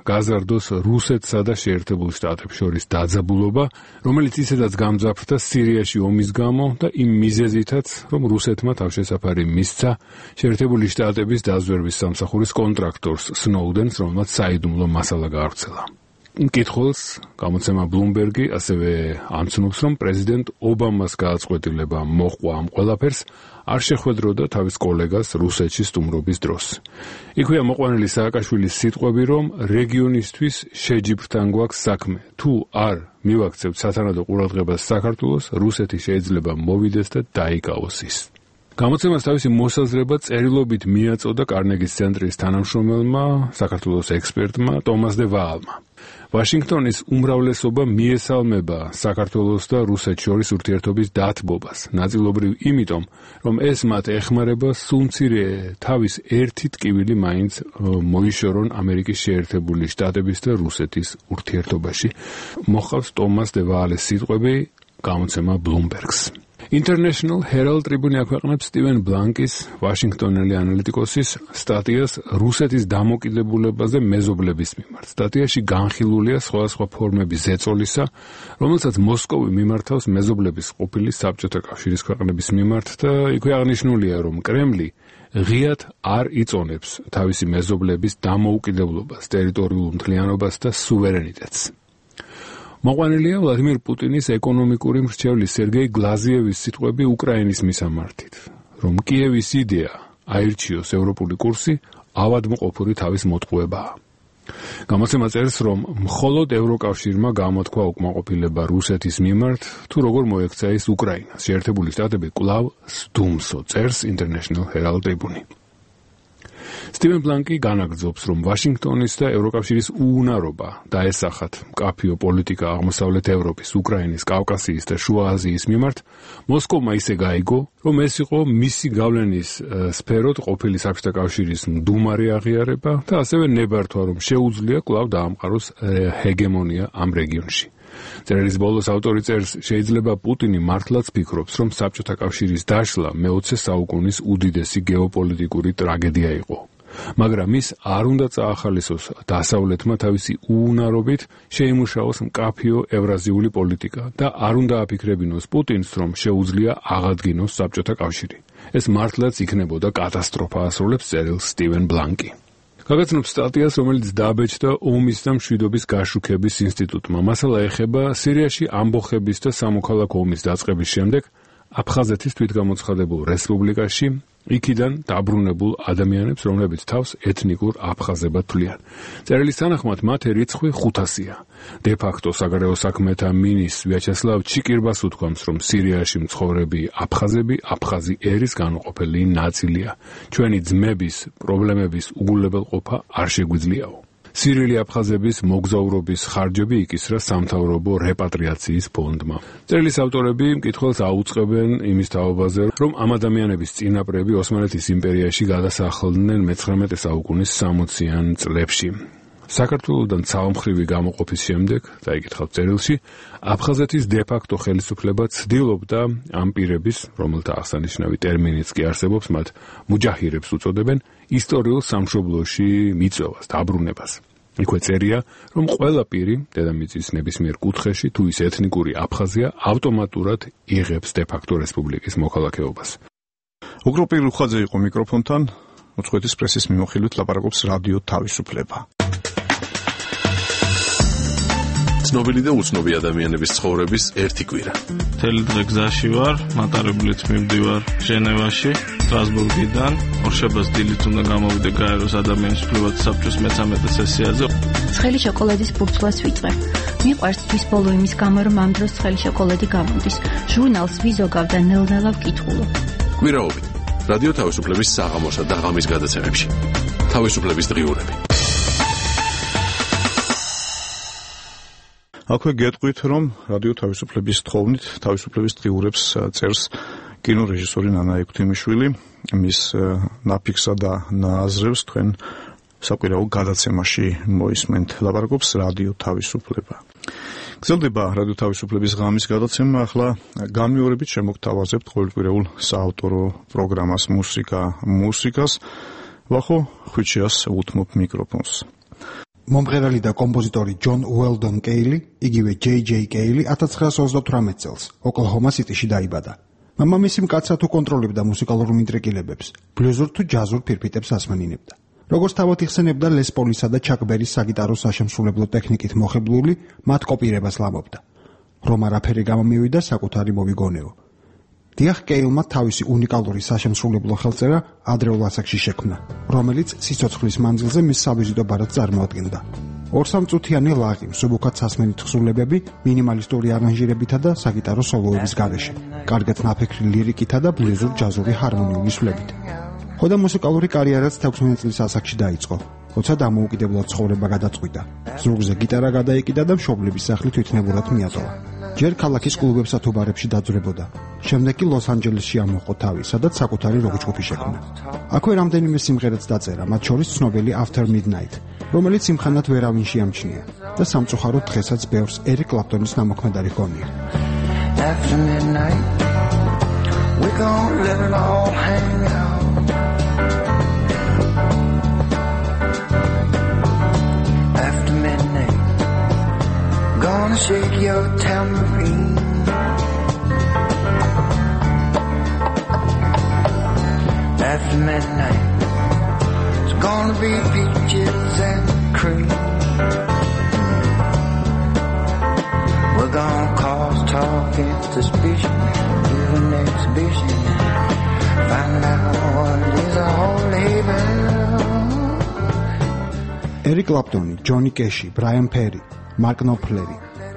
გაზარდოს რუსეთსა და შეერთებულ შტატებს შორის დაძაბულობა, რომელიც ისედაც გამძაფრდა სირიაში ომის გამო და იმ მიზეზითაც, რომ რუსეთმა თავშესაფარი მისცა შეერთებული შტატების დაზვერვის სამსახურის კონტრაქტორს სნოუდენს, რომელმაც საიდუმლო მასალა გაავრცელა. მკითხველს გამოცემა Bloomberg-ი ასევე ამცნობს, რომ პრეზიდენტ ობამას გააწყვეტილება მოჰყვა ამ ყველაფერს არ შეხვედროდა თავის კოლეგას რუსეთში სტუმრობის დროს. იქვეა მოყვანილი სააკაშვილის სიტყვები, რომ რეგიონისთვის შეჯიბრთან გვაქვს საქმე. თუ არ მივაქცევთ სათანადო ყურადღებას საქართველოს, რუსეთი შეიძლება მოვიდეს და დაიკავოს ის. გამოცემას თავისი მოსაზრება წერილობით მიაწოდა კარნეგის ცენტრის თანამშრომელმა, საქართველოს ექსპერტმა ტომას დე ვაალმა. ვაშინგტონის უმრავლესობა მიესალმება საქართველოს და რუსეთს შორის ურთიერთობის დათბობას, ნაწილობრივ იმიტომ, რომ ეს მათ ეხმარება სულმცირე თავის ერთი ტკივილი მაინც მოიშორონ ამერიკის შეერთებული შტატების და რუსეთის ურთიერთობაში. მოჰყავს ტომას დე ვაალის სიტყვები გამოცემა Bloomberg-ს. International Herald Tribune აქვეყნებს სტივენ ბლანკის, ვაშინგტონელი ანალიტიკოსის სტატიას რუსეთის დამოკიდებულებაზე მეზობლების მიმართ. სტატიაში განხილულია სხვადასხვა ფორმების ზეწოლისა, რომელსაც მოსკოვი მიმართავს მეზობლების ყოფილი საბჭოთა კავშირის ქვეყნების მიმართ და იქვე აღნიშნულია, რომ კრემლი ღიად არ იწონებს თავისი მეზობლების დამოუკიდებლობას, ტერიტორიულ მთლიანობას და სუვერენიტეტს. მოყვანილია ვლადიმირ პუტინის ეკონომიკური მრჩევლის სერგეი გლაზიევის სიტყვები უკრაინის მისამართით, რომ კიევის იდეა აირჩიოს ევროპული კურსი ავადმყოფური თავის მოტყუებაა. გამოცემა წერს, რომ მხოლოდ ევროკავშირმა გამოთქვა უკმაყოფილება რუსეთის მიმართ, თუ როგორ მოექცა ის უკრაინას. შეერთებული შტატები კვლავ სდუმსო, წერს International Herald Tribune. სტივენ ბლანკი განაგრძობს, რომ ვაშინგტონის და ევროკავშირის უუნარობა დაესახათ მკაფიო პოლიტიკა აღმოსავლეთ ევროპის, უკრაინის, კავკასიის და შუა აზიის მიმართ, მოსკოვმა ისე გაიგო, რომ ეს იყო მისი გავლენის სფეროთ ყოფილი საბჭოთა კავშირის მდუმარი აღიარება და ასევე ნებართვა, რომ შეუძლია კვლავ დაამყაროს ჰეგემონია ამ რეგიონში. წერილის ბოლოს ავტორი წერს, შეიძლება პუტინი მართლაც ფიქრობს, რომ საბჭოთა კავშირის დაშლა მე-20 საუკუნის უდიდესი გეოპოლიტიკური ტრაგედია იყო. მაგრამ ის არ უნდა წაახალისოს დასავლეთმა თავისი უუნარობით შეიმუშაოს მკაფიო ევრაზიული პოლიტიკა და არ უნდა აფიქრებინოს პუტინს, რომ შეუძლია აღადგინოს საბჭოთა კავშირი. ეს მართლაც იქნებოდა კატასტროფა, ასრულებს წერილს სტივენ ბლანკი. გაგაცნობს სტატიას, რომელიც დააბეჭდა ომის და მშვიდობის გაშუქების ინსტიტუტმა. მასალა ეხება სირიაში ამბოხების და სამოქალაქო ომის დაწყების შემდეგ აფხაზეთის თვითგამოცხადებულ რესპუბლიკაში იქიდან დაბრუნებულ ადამიანებს, რომლებიც თავს ეთნიკურ აფხაზებად თვლიან. წერილის თანახმად მათი რიცხვი 500-ია. დე-ფაქტო საგარეო საქმეთა მინისტრ ვიაჩესლავ ჩიკირბას უთქვამს, რომ სირიაში მცხოვრები აფხაზები აფხაზი ერის განუყოფელი ნაწილია. ჩვენი ძმების პრობლემების უგულებელყოფა არ შეგვიძლიაო. სირიელი აფხაზების მოგზაურობის ხარჯები იკისრა სამთავრობო რეპატრიაციის ფონდმა. წერილის ავტორები მკითხველს აუწყებენ იმის თაობაზე, რომ ამ ადამიანების წინაპრები ოსმალეთის იმპერიაში გადასახლდნენ მე-19 საუკუნის 60-იან წლებში. საქართველოსთან ცალმხრივი გამოყოფის შემდეგ, დაიკითხავთ წერილში, აფხაზეთის დე-ფაქტო ხელისუფლება ცდილობდა ამ პირების, რომელთა აღსანიშნავი ტერმინიც კი არსებობს, მათ მუჯაჰირებს უწოდებენ, ისტორიულ სამშობლოში მიწვევას, დაბრუნებას. იქვე წერია, რომ ყველა პირი დედამიწის ნებისმიერ კუთხეში თუ ის ეთნიკური აფხაზია, ავტომატურად იღებს დე-ფაქტო რესპუბლიკის მოქალაქეობას. უკროპ პირუხაძე იყო მიკროფონთან, უცხოეთის პრესის მიმოხილვით ლაპარაკობს რადიო თავისუფლება. ცნობილი და უცნობი ადამიანების ცხოვრების ერთი კვირა. მთელი დღე გზაში ვარ, მატარებლით მივდივარ ჟენევაში, სტრასბურგიდან, ორშაბათს დილით უნდა გამოვიდე გაეროს ადამიანის უფლებათა საბჭოს მე-13 სესიაზე. ცხელი შოკოლადის ბურცლას ვიწყებ. მიყვარს თვის ბოლო იმის გამო, რომ ამ დროს ცხელი შოკოლადი გამოდის. ჟურნალს ვიზოგავ და ნელ-ნელა ვკითხულობ. კვირაობით რადიო თავისუფლების საღამოსა და ღამის გადაცემებში. თავისუფლების დღიურები. აქვე გეტყვით, რომ რადიო თავისუფლების თხოვნით თავისუფლების დღიურებს წერს კინორეჟისორი ნანა ექვთიმიშვილი, მის ნაფიქსა და ნააზრევს თქვენ საკვირაო გადაცემაში მოისმენთ. ლაპარაკობს რადიო თავისუფლება. გრძელდება რადიო თავისუფლების ღამის გადაცემა, ახლა განმეორებით შემოგთავაზებთ ყოველკვირეულ საავტორო პროგრამას მუსიკას. ვახო ხვიჩიას უთმობ მიკროფონს. მომღერალი და კომპოზიტორი ჯონ უელდონ კეილი, იგივე ჯეი კეილი 1928 წელს ოკლაჰომა სიტიში დაიბადა. მამამისი მკაცრად უკონტროლებდა მუსიკალურ მინტრეკილებებს, ბლუზურ თუ ჯაზურ ფირფიტებს ასმენინებდა. როგორც თავად იხსენებდა, ლეს პოლისა და ჩაკ ბერის საგიტარო საშემსრულებლო ტექნიკით მოხიბლული, მათ კოპირებას ლამობდა. რომ არაფერი გამომივიდა, საკუთარი მოვიგონეო. დიახ, კეილმა თავისი უნიკალური საშემსრულებლო ხელწერა ადრეულ ასაკში შექმნა, რომელიც სიცოცხლის მანძილზე მის სავიზიტო ბარათს წარმოადგენდა. 2-3 წუთიანი ლაღი, მსუბუქად სასმენით თხზულებები, მინიმალისტური არანჟირებითა და საგიტარო სოლოების გარეშე, კარგად ნაფიქრი ლირიკითა და ბლუზურ ჯაზური ჰარმონიული სვლებით. ხოდა მუსიკალური კარიერაც 16 წლის ასაკში დაიწყო, როცა დამოუკიდებლად ცხოვრება გადაწყვიტა. ზურგზე გიტარა გადაიკიდა და მშობლების სახლი თვითნებურად მიატოვა. ჯერ ქალაქის კლუბებსა თუ ბარებში დაძვრებოდა. შემდეგ კი ლოს-ანჯელესში ამოყო თავი, სადაც საკუთარი როკ-ჯგუფი შექმნა. აქვე რამდენიმე სიმღერაც დაწერა, მათ შორის ცნობილი After Midnight, რომელიც იმხანად ვერავინ შეამჩნია და სამწუხაროდ დღესაც ბევრს ერიკ კლაპტონის ნამოქმედარი ჰგონია. After midnight, we gon' let it all hang out. After midnight, gonna shake your tambourine. After midnight, it's gonna be peaches and cream. We're gonna cause talk and suspicion, do an exhibition, find out what is a holy bell. Eric Clapton, Johnny Cash, Brian Ferry, Mark Knopfler,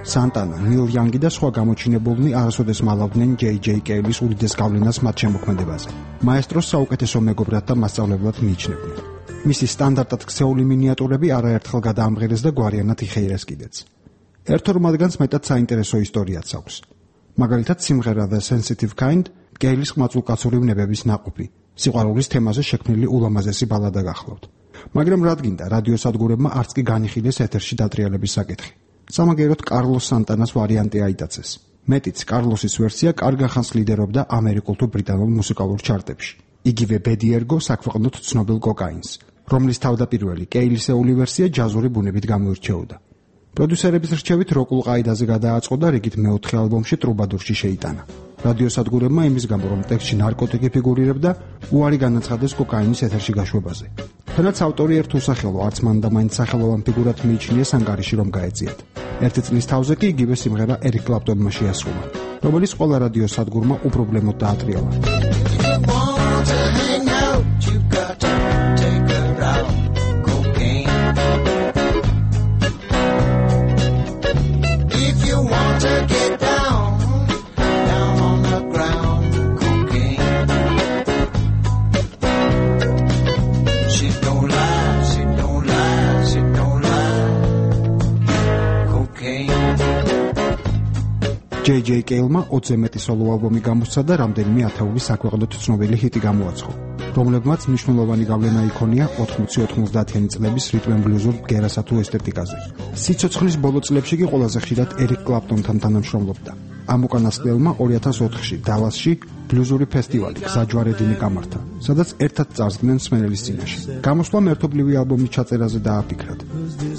Santana, Neil Young და სხვა გამოჩინებულნი არასოდეს მალავდნენ ჯეი კეილის უდიდეს გავლენას მათ შემოქმედებაზე. მაესტროს საუკეთესო მეგობრად და მასწავლებლად მიიჩნევდნენ. მისი სტანდარტად ქცეული მინიატურები არაერთხელ გადაამღერეს და გვარიანად იხეირეს კიდეც. ერთ-ორ მათგანს მეტად საინტერესო ისტორიაც აქვს. მაგალითად, სიმღერა The Sensitive Kind კეილის ყმაწვილკაცური ვნებების ნაყოფი, სიყვარულის თემაზე შექმნილი ულამაზესი ბალადა გახლავთ. მაგრამ რადგინდა რადიოსადგურებმა არც კი განიხილეს ეთერში დატრიალების საკითხი. სამაგეროდ კარლოს სანტანას ვარიანტი აიტაცეს. მეტიც კარლოსის ვერსია კარგ ხანს ლიდერობდა ამერიკულ თუ ბრიტანულ მუსიკალურ ჩარტებში. იგივე ბედი ერგო საქვეყნოდ ცნობილ კოკაინს, რომლის თავდაპირველი კეილისეული ვერსია ჯაზური ბუნებით გამოირჩეოდა. პროდიუსერების რჩევით როკულ ყაიდაზე გადააწყო და რიგით მეოთხე ალბომში ტრუბადურში შეიტანა. რადიოსადგურებმა იმის გამო, რომ ტექსტში ნარკოტიკი ფიგურირებდა, უარი განაცხადეს კოკაინის ეთერში გაშვებაზე. თუნდაც ავტორი ერთ უსახელო, არც მან და მაინც სახელოვან ფიგურად მიიჩნიეს ანგარიში რომ გაეწიათ. ერთი წლის თავზე კი იგივე სიმღერა ერიკ კლაპტონმა შეასრულა, რომელიც ყველა რადიოსადგურმა უპრობლემოდ დაატრიალა. J.J. Cale-მა 20-ზე მეტი სოლო ალბომი გამოსცა და რამდენიმე ათეული საქვეყნოდ ცნობილი ჰიტი გამოაცხო, რომლებმაც მნიშვნელოვანი გავლენა იქონია 80-90-იანი წლების რიტმ-ენ-ბლუზურ ბგერასა თუ ესთეტიკაზე. სიცოცხლის ბოლო წლებში კი ყველაზე ხშირად ერიკ კლაპტონთან თანამშრომლობდა. ამ უკანასკნელმა 2004-ში დალასში ბლუზური ფესტივალი გზაჯვარედინი გამართა, სადაც ერთად წარსდგნენ მსმენელის წინაშე. გამოსვლამ ერთობლივი ალბომის ჩაწერაზე დააფიქრათ.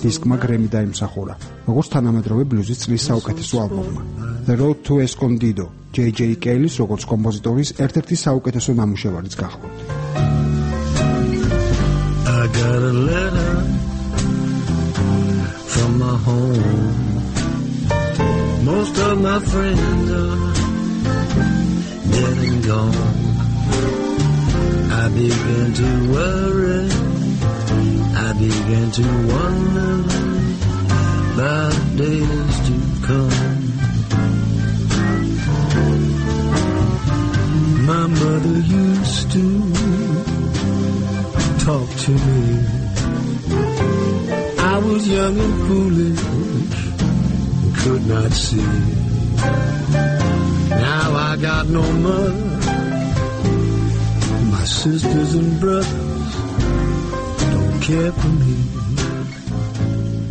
დისკმა გრემი დაიმსახურა, როგორც თანამედროვე ბლუზის წლის საუკეთესო ალბომმა. The Road to Escondido J.J. Cale-ის როგორც კომპოზიტორის ერთ-ერთი საუკეთესო ნამუშევარიც გახლავთ. I got a letter from my home. Most of my friends are dead and gone. I began to worry. I began to wonder about days to come. My mother used to talk to me. I was young and foolish, could not see. Now I got no mother. My sisters and brothers don't care for me.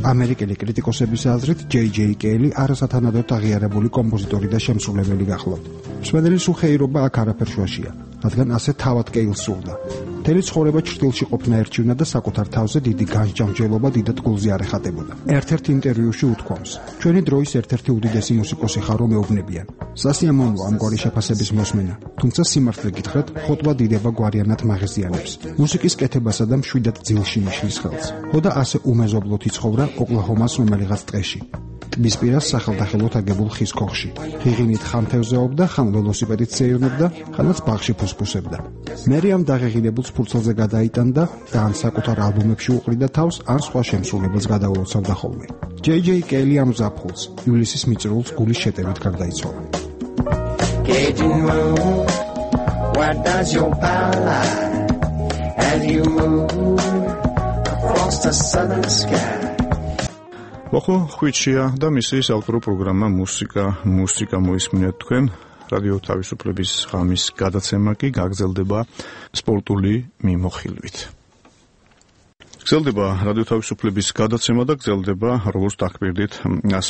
ამერიკელი კრიტიკოსების აზრით J.J. Cale არასათანადოდ აღიარებული კომპოზიტორი და შემსრულებელი გახლავთ. მსმენელის უხეირობა აქ არაფერ შუაშია, რადგან ასე თავად Cale სურდა. მთელი ცხოვრება ჩრდილში ყოფნა ერჩივნა და საკუთარ თავზე დიდი განსჯამჯელობა დიდად გულზე არ ეხატებოდა. ერთ-ერთ ინტერვიუში უთქვამს: ჩვენი დროის ერთ-ერთი უდიდესი მუსიკოსი ხარ, რომ მეუბნებიან. სასიამოვნოა ამგვარი შეფასების მოსმენა, თუმცა სიმართლე გითხრათ, ხოტბა დიდება გვარიანად მაღიზიანებს. მუსიკის კეთებასა და მშვიდად ძილში მიშლის ხელს. ხოდა ასე უმეზობლოდ იცხოვრა ოკლაჰომას რომელიღაც ტყეში. ტბის პირას სახელდახელოდ აგებულ ხის ქოხში. ღიღინით ხან თევზეობდა, ხან ველოსიპედით სეირნობდა, ხანაც ბაღში ფუსფუსებდა. მერე ამ დაღეღინებულ ფურცელზე გადაიტანდა და ან საკუთარ ალბომებში უყრიდა თავს, ან სხვა შემსრულებელს გადაულოცავდა ხოლმე. J.J. Cale ამ ზაფხულს, ივლისის მიწრულს გულის შეტევით გარდაიცვალა. Cajun moon, where does your power lie as you move across the southern sky? ვახო ხვიჩია და მისი საავტორო პროგრამა მუსიკა მოისმინეთ თქვენ. რადიო თავისუფლების ღამის გადაცემა კი გაგრძელდება სპორტული მიმოხილვით. გრძელდება რადიო თავისუფლების გადაცემა და გრძელდება როგორც დაგპირდით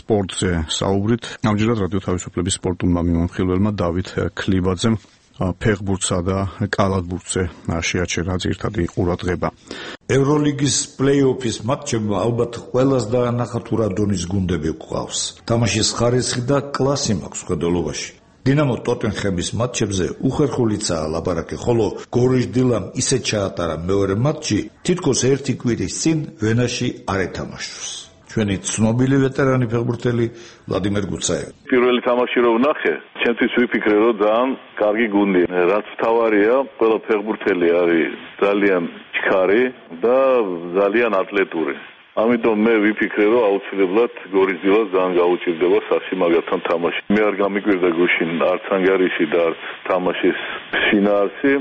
სპორტზე საუბრით. ამჯერად რადიო თავისუფლების სპორტულმა მიმოხილველმა დავით ქლიბაძემ ფეხბურთსა და კალათბურთზე შეაჩერა ძირითადი ყურადღება. ევროლიგის პლეი-ოფის მატჩებმა ალბათ ყველას დაანახა თუ რა დონის გუნდები გვყავს. თამაშის ხარისხი და კლასი მაქვს ხედელობაში. დინამო ტოტენჰემის მატჩებზე უხერხულიცაა ლაპარაკი, ხოლო გორიშ დილამ ისე ჩაატარა მეორე მატჩი, თითქოს ერთი კვირის წინ ვენაში არ ეთამაშოს. ჩვენი ცნობილი ვეტერანი ფეხბურთელი ვლადიმერ გუცაევი. პირველი თამაში რო ვნახე, ჩემთვის ვიფიქრე რომ ძალიან კარგი გუნდია. რაც მთავარია, ყველა ფეხბურთელი არის ძალიან ჩქარი და ძალიან ატლეტური. ამიტომ მე ვიფიქრე რომ აუცილებლად გორის დილას ძალიან გაუჭირდება სასიმაგრთან თამაში. მე არ გამიკვირდა გუშინ არც ანგარიში და არც თამაშის შინაარსი.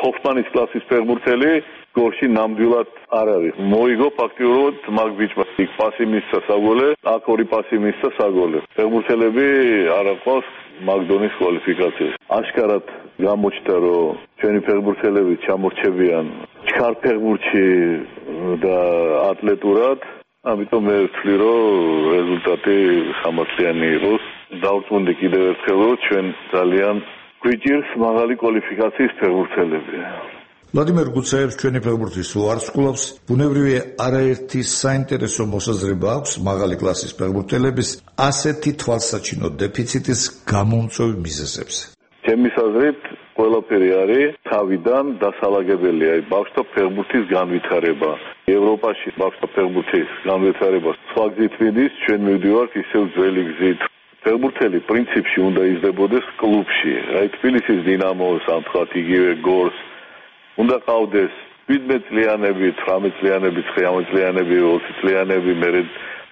ჰოფმანის კლასის ფეხბურთელი გორში ნამდვილად არ არის. მოიგო ფაქტიურად მაგ ბიჭმა. იქ პასი მისცა საგოლე, აქ ორი პასი მისცა საგოლე. ფეხბურთელები არ აყავს მაგ დონის კვალიფიკაციას. აშკარად გამოჩნდა რომ ჩვენი ფეხბურთელები ჩამორჩებიან ჩქარ ფეხბურთში და ატლეტურად. ამიტომ მე ვთვლი რომ რეზულტატი სამართლიანი იყოს. დავწუნდი კიდევ ერთხელ რომ ჩვენ ძალიან გვიჭირს მაღალი კვალიფიკაციის ფეხბურთელები. ვლადიმერ გუცაევს ჩვენი ფეხბურთის უარსკვლავს, ბუნებრივია არაერთი საინტერესო მოსაზრება აქვს მაღალი კლასის ფეხბურთელების ასეთი თვალსაჩინო დეფიციტის გამომწვევ მიზეზებზე. ჩემის აზრით ყველაფერი არის თავიდან დასალაგებელი, აი ბავშვთა ფეხბურთის განვითარება. ევროპაში ბავშვთა ფეხბურთის განვითარება სხვა გზით მიდის, ჩვენ მივდივართ ისევ ძველი გზით. ფეხბურთელი პრინციპში უნდა იზრდებოდეს კლუბში. აი თბილისის დინამოს, ამ თქვათ იგივე გორს უნდა ყავდეს 17 წლიანები, 18 წლიანები, 19 წლიანები, 20 წლიანები, მე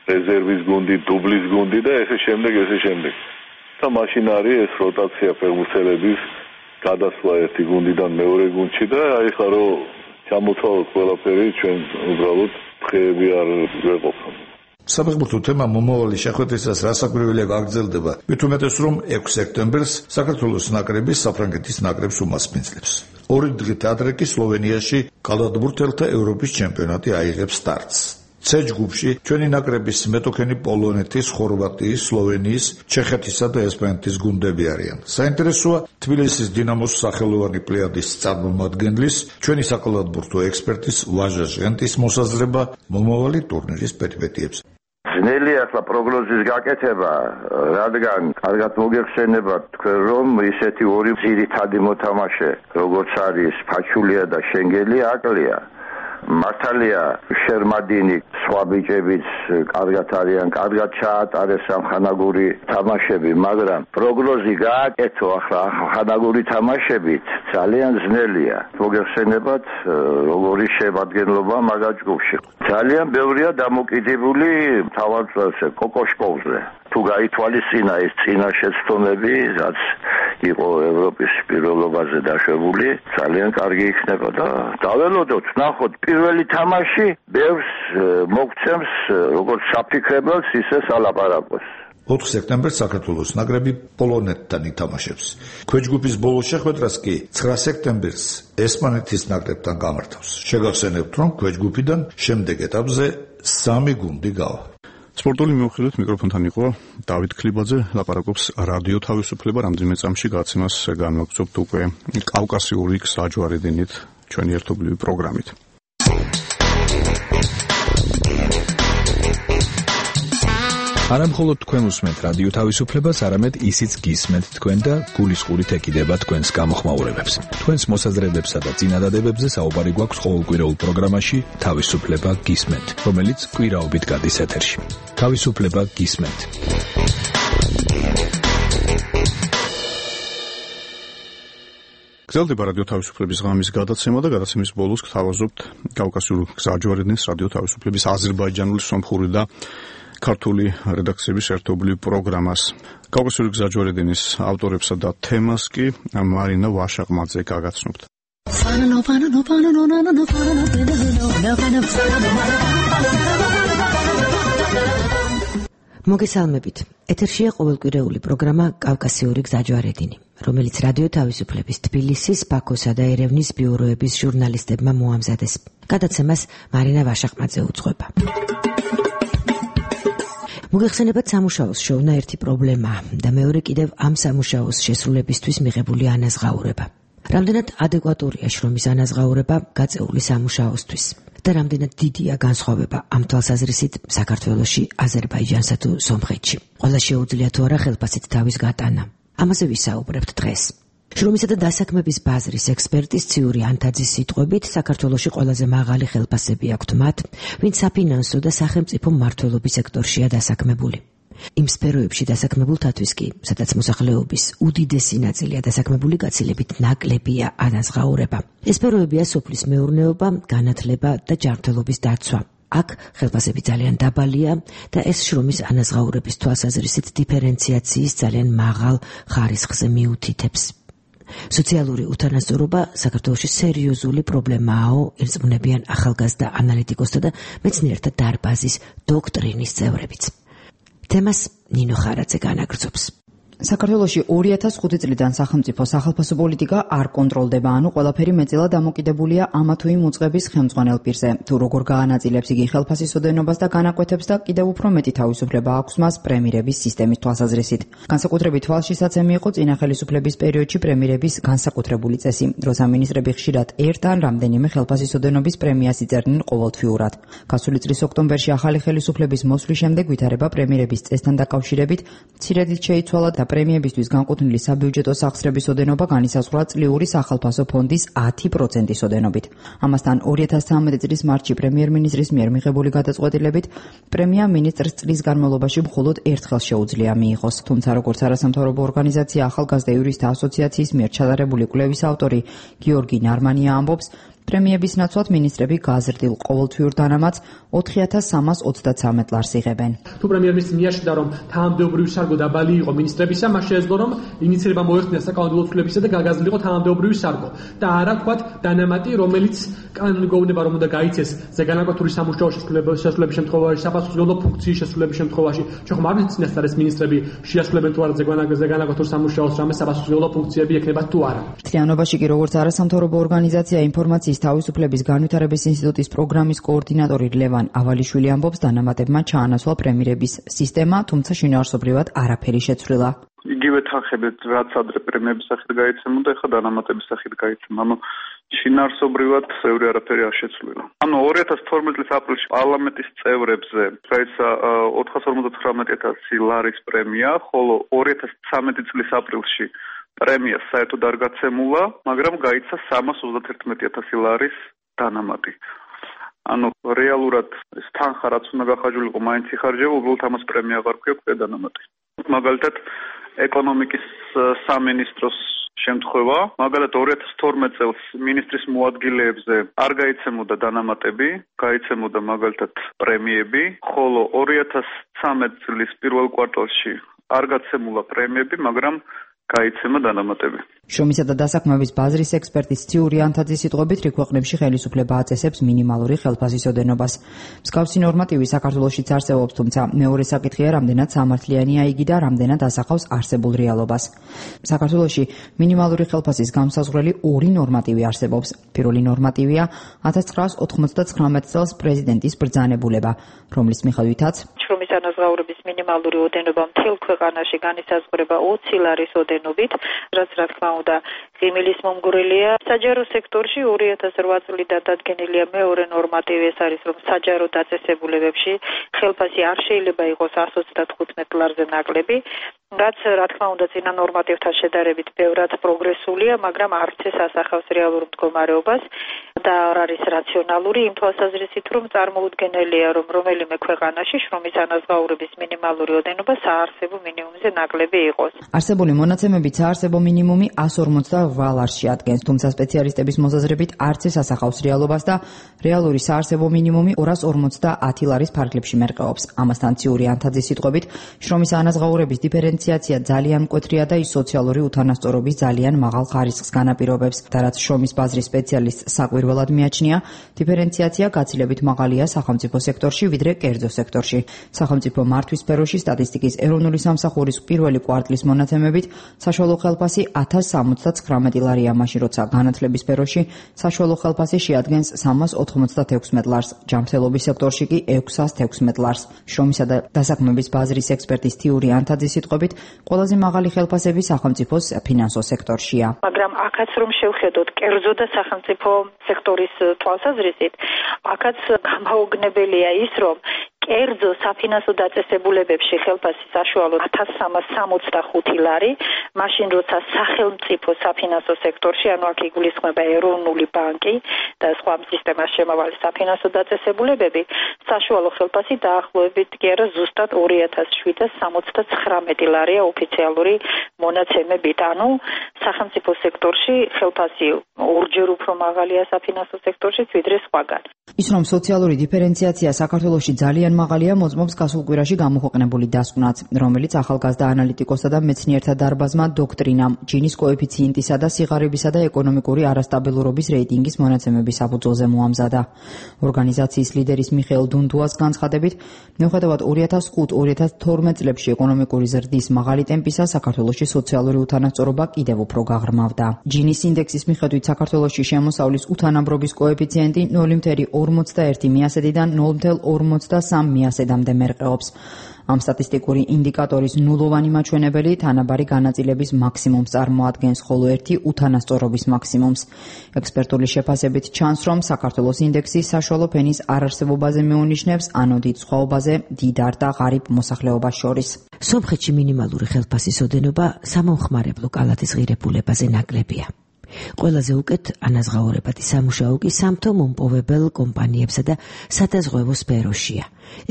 რეზერვის გუნდი, დუბლის გუნდი და ესე შემდეგ. და მაშინ არის ეს როტაცია ფეხბურთელების გადასვლა ერთი გუნდიდან მეორე გუნდში და აი ხა რომ ჩამოთვალოთ ყველაფერი, ჩვენ უბრალოდ დღეები არ ვეყოფთ. საფეხბურთო თემა მომავალი შეხვედრისას რასაკვირველია გაგრძელდება, მით უმეტეს რომ 6 სექტემბერს საქართველოს ნაკრები საფრანგეთის ნაკრებს უმასპინძლებს. 2 დღით ადრე კი სლოვენიაში კალათბურთელთა ევროპის ჩემპიონატი აიღებს სტარტს. C ჯგუფში ჩვენი ნაკრების მეტოქენი პოლონეთის, ხორვატიის, სლოვენიის, ჩეხეთისა და ესპანეთის გუნდები არიან. საინტერესოა თბილისის დინამოს სახელოვანი პლეიადის წარმომადგენლის, ჩვენი საკალათბურთო ექსპერტის ვაჟა ჟენტის მოსაზრება მომავალი ტურნირის პერიპეტიებზე. ძნელი ახლა პროგნოზის გაკეთება, რადგან კარგად მოგეხსენებათ თქვენ რომ ისეთი ორი ძირითადი მოთამაშე, როგორც არის ფაჩულია და შენგელი აკლია. მართალია შერმადინი სხვა ბიჭებიც კარგად არიან, კარგად ჩაატარეს სამხანაგური თამაშები, მაგრამ პროგნოზი გააკეთო ახლა ხანაგური თამაშებით ძალიან ძნელია. მოგეხსენებათ როგორი შემადგენლობა მაგარ ჯგუფში. ძალიან ბევრია დამოკიდებული მთავარ წელზე, კოკოშკოვზე. თუ გაითვალისწინა ეს წინა შეცდომები, რაც იყო ევროპის პირველობაზე დაშვებული, ძალიან კარგი იქნება და დაველოდოთ, ნახოთ პირველი თამაში ბევრს მოგცემს როგორც საფიქრებელს, ისე სალაპარაკოს. 4 სექტემბერს საქართველოს ნაკრები პოლონეთთან ითამაშებს. ქვეჯგუფის ბოლო შეხვედრას კი 9 სექტემბერს ესპანეთის ნაკრებთან გამართავს. შეგახსენებთ, რომ ქვეჯგუფიდან შემდეგ ეტაპზე 3 გუნდი გავა. სპორტული მიუხედავად მიკროფონთან იყო დავით ქლიბაძე, ლაპარაკობს რადიო თავისუფლება, რამდენიმე წამში გაცემას განვაგრძობთ უკვე კავკასიური გზაჯვარედინით ჩვენი ერთობლივი პროგრამით. არა მხოლოდ თქვენ უსმენთ რადიო თავისუფლებას, არამედ ისიც გისმენთ თქვენ და გულისყურით ეკიდება თქვენს გამოხმაურებებს. თქვენს მოსაზრებებსა და წინადადებებზე საუბარი გვაქვს ყოველკვირეულ პროგრამაში თავისუფლება გისმენთ, რომელიც კვირაობით გადის ეთერში. თავისუფლება გისმენთ. გრძელდება რადიო თავისუფლების ღამის გადაცემა და გადაცემის ბოლოს გთავაზობთ კავკასიურ გზაჯვარედინის რადიო თავისუფლების აზერბაიჯანული, სომხური და ქართული რედაქციების ერთობლივ პროგრამას. კავკასიური გზაჯვარედინის ავტორებსა და თემას კი მარინა ვაშაყმაძე გაგაცნობთ. მოგესალმებით. ეთერშია ყოველკვირეული პროგრამა კავკასიური გზაჯვარედინი, რომელიც რადიო თავისუფლების თბილისის, ბაქოსა და ერევნის ბიუროების ჟურნალისტებმა მოამზადეს. გადაცემას მარინა ვაშაყმაძე უძღვება. მოგეხსენებათ სამუშაოს შოვნა ერთი პრობლემა და მეორე კიდევ ამ სამუშაოს შესრულებისთვის მიღებული ანაზღაურება. რამდენად ადეკვატურია შრომის ანაზღაურება გაწეული სამუშაოსთვის და რამდენად დიდია განსხვავება ამ თვალსაზრისით საქართველოში, აზერბაიჯანსა თუ სომხეთში. ყველა შეუძლია თუ არა ხელფასით თავის გატანა. ამაზე ვისაუბრებთ დღეს. შრომისა და დასაქმების ბაზრის ექსპერტის ციური ანთაძის სიტყვებით, საქართველოში ყველაზე მაღალი ხელფასები აქვთ მათ, ვინც საფინანსო და სახელმწიფო მმართველობის სექტორშია დასაქმებული. იმ სფეროებში დასაქმებულთათვის კი, სადაც მოსახლეობის უდიდესი ნაწილია დასაქმებული, გაცილებით ნაკლებია ანაზღაურება. ეს სფეროებია სოფლის მეურნეობა, განათლება და ჯანმრთელობის დაცვა. აქ ხელფასები ძალიან დაბალია და ეს შრომის ანაზღაურების თვალსაზრისით დიფერენციაციის ძალიან მაღალ ხარისხზე მიუთითებს. სოციალური უთანასწორობა საქართველოში სერიოზული პრობლემაა, ერწყმუნებიან ახალგაზრდა ანალიტიკოსთა და მეცნიერთა დარბაზის დოქტრინის წევრებიც. თემას ნინო ხარაძე განაგრძობს. საქართველოში 2005 წლიდან სახელმწიფო სახელფასო პოლიტიკა არ კონტროლდება, ანუ ყველაფერი მეტწილად დამოკიდებულია ამა თუ იმ უწყების ხელმძღვანელ პირზე. თუ როგორ გაანაწილებს იგი ხელფასის ოდენობას და განაკვეთებს და კიდევ უფრო მეტი თავისუფლება აქვს მას პრემირების სისტემის თვალსაზრისით. განსაკუთრებით თვალშისაცემი იყო წინა ხელისუფლების პერიოდში პრემირების განსაკუთრებული წესი, როცა მინისტრები ხშირად ერთ ან რამდენიმე ხელფასის ოდენობის პრემიას იწერდნენ ყოველთვიურად. გასული წლის ოქტომბერში ახალი ხელისუფლების მოსვლის შემდეგ ვითარება პრემირების წესთან დაკავშირებით მცირედით შეიცვალა და პრემიებისთვის განკუთვნილი საბიუჯეტო სახსრების ოდენობა განისაზღვრა წლიური სახალხო ფონდის 10%-ის ოდენობით. ამასთან 2013 წლის მარტში პრემიერ-მინისტრის მიერ მიღებული გადაწყვეტილებით პრემია მინისტრს წლის განმავლობაში მხოლოდ ერთხელ შეუძლია მიიღოს. თუმცა როგორც არასამთავრობო ორგანიზაცია ახალგაზრდა იურისტთა ასოციაციის მიერ ჩატარებული კვლევის ავტორი გიორგი ნარმანია ამბობს, პრემიების ნაცვლად მინისტრები გაზრდილ ყოველთვიურ დანამატს 4323 ლარს იღებენ. თუ პრემიერ-მინისტრი მიაშურდა, რომ თანამდებობრივი სარგო დაბალი იყო მინისტრებისა, მას შეეძლო, რომ ინიციირება მოეხდინა საკანონმდებლო ცვლილებისა და გაგაზრდილიყო თანამდებობრივი სარგო. და არა ვთქვათ დანამატი, რომელიც კანონი გვეუბნება, რომ უნდა გაიცეს ზეგანაკვთური სამუშაო შესრულების შემთხვევაში, საფასურულო ფუნქციის შესრულების შემთხვევაში. ჩვენ ხომ არ ვიცით წინასწარ ეს მინისტრები შეასრულებენ თუ არა ზეგანაკვთურ სამუშაოს რამე საფასურულო ფუნქციები ექნება თუ არა. მთლიანობაში კი როგორც არასამთავრობო ორგანიზაცია ინფორმაციის თავისუფლების განვითარების ინსტიტუტის პროგრამის კოორდინატორი ლევან ავალიშვილი ამბობს, დანამატებმა ჩაანაცვლა პრემიერების სისტემა, თუმცა შინაარსობრივად არაფერი შეცვლილა. იგივე თანხებით, რაც ადრე პრემიების სახით გაიცემოდა, ეხლა დანამატების სახით გაიცემა. ანუ შინაარსობრივად ბევრი არაფერი არ შეცვლილა. ანუ 2012 წლის აპრილში პარლამენტის წევრებზე გაიცა 459,000 ლარის პრემია, ხოლო 2013 წლის აპრილში პრემია საერთოდ არ გაცემულა, მაგრამ გაიცა 331,000 ლარის დანამატი. ანუ რეალურად ეს თანხა რაც უნდა გახარჯულიყო, მაინც იხარჯება, უბრალოდ ამას პრემია აღარ გვაქვს დანამატი. მაგალითად, ეკონომიკის სამინისტროს შემთხვევა, მაგალითად 2012 წელს მინისტრის მოადგილეებზე არ გაიცემოდა დანამატები, გაიცემოდა მაგალითად პრემიები, ხოლო 2013 წლის პირველ კვარტალში არ გაცემულა პრემიები, მაგრამ გაიცემა დანამატები. შრომისა და დასაქმების ბაზრის ექსპერტის ციური ანთაძის სიტყვებით, რიგ ქვეყნებში ხელისუფლება აწესებს მინიმალური ხელფასის ოდენობას. მსგავსი ნორმატივი საქართველოშიც არსებობს, თუმცა მეორე საკითხია, რამდენად სამართლიანია იგი და რამდენად ასახავს არსებულ რეალობას. საქართველოში მინიმალური ხელფასის გამსაზღვრელი ორი ნორმატივი არსებობს. პირველი ნორმატივია 1999 წელს პრეზიდენტის ბრძანებულება, რომლის მიხედვითაც შრომის ანაზღაურების მინიმალური ოდენობა მთელ ქვეყანაში განისაზღვრება 20 ლარის ოდენობით, რაც რა თქმა უნდა ღიმილის მომგვრელია. საჯარო სექტორში 2008 წლიდან დადგენილია მეორე ნორმატივი, ეს არის, რომ საჯარო დაწესებულებებში ხელფასი არ შეიძლება იყოს 125 ლარზე ნაკლები, რაც რა თქმა უნდა წინა ნორმატივთან შედარებით ბევრად პროგრესულია, მაგრამ არც ეს ასახავს რეალურ მდგომარეობას და არ არის რაციონალური იმ თვალსაზრისით, რომ წარმოუდგენელია, რომ რომელიმე ქვეყანაში შრომის ანაზღაურების მინიმალური ოდენობა საარსებო მინიმუმზე ნაკლები იყოს. არსებული მონაცემებით საარსებო მინიმუმი 158 ლარს შეადგენს, თუმცა სპეციალისტების მოსაზრებით არც ეს ასახავს რეალობას და რეალური საარსებო მინიმუმი 250 ლარის ფარგლებში მერყეობს. ამასთან ციური ანთაძის სიტყვებით, შრომის ანაზღაურების დიფერენციაცია ძალიან მკვეთრია და ის სოციალური უთანასწორობის ძალიან მაღალ ხარისხს განაპირობებს. და რაც შრომის ბაზრის სპეციალისტს საკვირველად მიაჩნია, დიფერენციაცია გაცილებით მაღალია სახელმწიფო სექტორში, ვიდრე კერძო სექტორში. სახელმწიფო მართვის სფეროში სტატისტიკის ეროვნული სამსახურის პირველი კვარტლის მონაცემებით საშუალო ხელფასი 1079 ლარია, მაშინ როცა განათლების სფეროში საშუალო ხელფასი შეადგენს 396 ლარს, ჯანმრთელობის სექტორში კი 616 ლარს. შრომისა და დასაქმების ბაზრის ექსპერტის თიური ანთაძის სიტყვებით, ყველაზე მაღალი ხელფასები სახელმწიფოს ფინანსო სექტორშია. მაგრამ აქაც რომ შევხედოთ კერძო და სახელმწიფო სექტორის თვალსაზრისით, აქაც გამაოგნებელია ის, რომ კერძო საფინანსო დაწესებულებებში ხელფასი საშუალო 1365 ლარი, მაშინ როცა სახელმწიფო საფინანსო სექტორში, ანუ აქ იგულისხმება ეროვნული ბანკი და სხვა სისტემას შემავალი საფინანსო დაწესებულებები, საშუალო ხელფასი დაახლოებით კი არა ზუსტად 2769 ლარია ოფიციალური მონაცემებით. ანუ სახელმწიფო სექტორში ხელფასი ორჯერ უფრო მაღალია საფინანსო სექტორში, ვიდრე სხვაგან. ის რომ სოციალური დიფერენციაცია საქართველოში ძალიან მაღალია, მოწმობს გასულ კვირაში გამოქვეყნებული დასკვნაც, რომელიც ახალგაზრდა ანალიტიკოსსა და მეცნიერთა დარბაზმა დოქტრინამ ჯინის კოეფიციენტისა და სიღარიბისა და ეკონომიკური არასტაბილურობის რეიტინგის მონაცემების საფუძველზე მოამზადა. ორგანიზაციის ლიდერის მიხეილ დუნდუას განცხადებით, მიუხედავად 2005-2012 წლებში ეკონომიკური ზრდის მაღალი ტემპისა, საქართველოში სოციალური უთანასწორობა კიდევ უფრო გაღრმავდა. ჯინის ინდექსის მიხედვით საქართველოში შემოსავლის უთანაბრობის კოეფიციენტი 0,41%-დან 0,43%-მდე მერყეობს. ამ სტატისტიკური ინდიკატორის ნულოვანი მაჩვენებელი თანაბარი განაწილების მაქსიმუმს წარმოადგენს, ხოლო ერთი უთანასწორობის მაქსიმუმს. ექსპერტული შეფასებით ჩანს, რომ საქართველოს ინდექსი საშუალო ფენის არარსებობაზე მეუნიშნებს, ანუ დიდ სხვაობაზე დიდარ და ღარიბ მოსახლეობას შორის. სომხეთში მინიმალური ხელფასის ოდენობა სამომხმარებლო კალათის ღირებულებაზე ნაკლებია. ყველაზე უკეთ ანაზღაურებადი სამუშაო კი სამთო-მომპოვებელ კომპანიებსა და სადაზღვევო სფეროშია.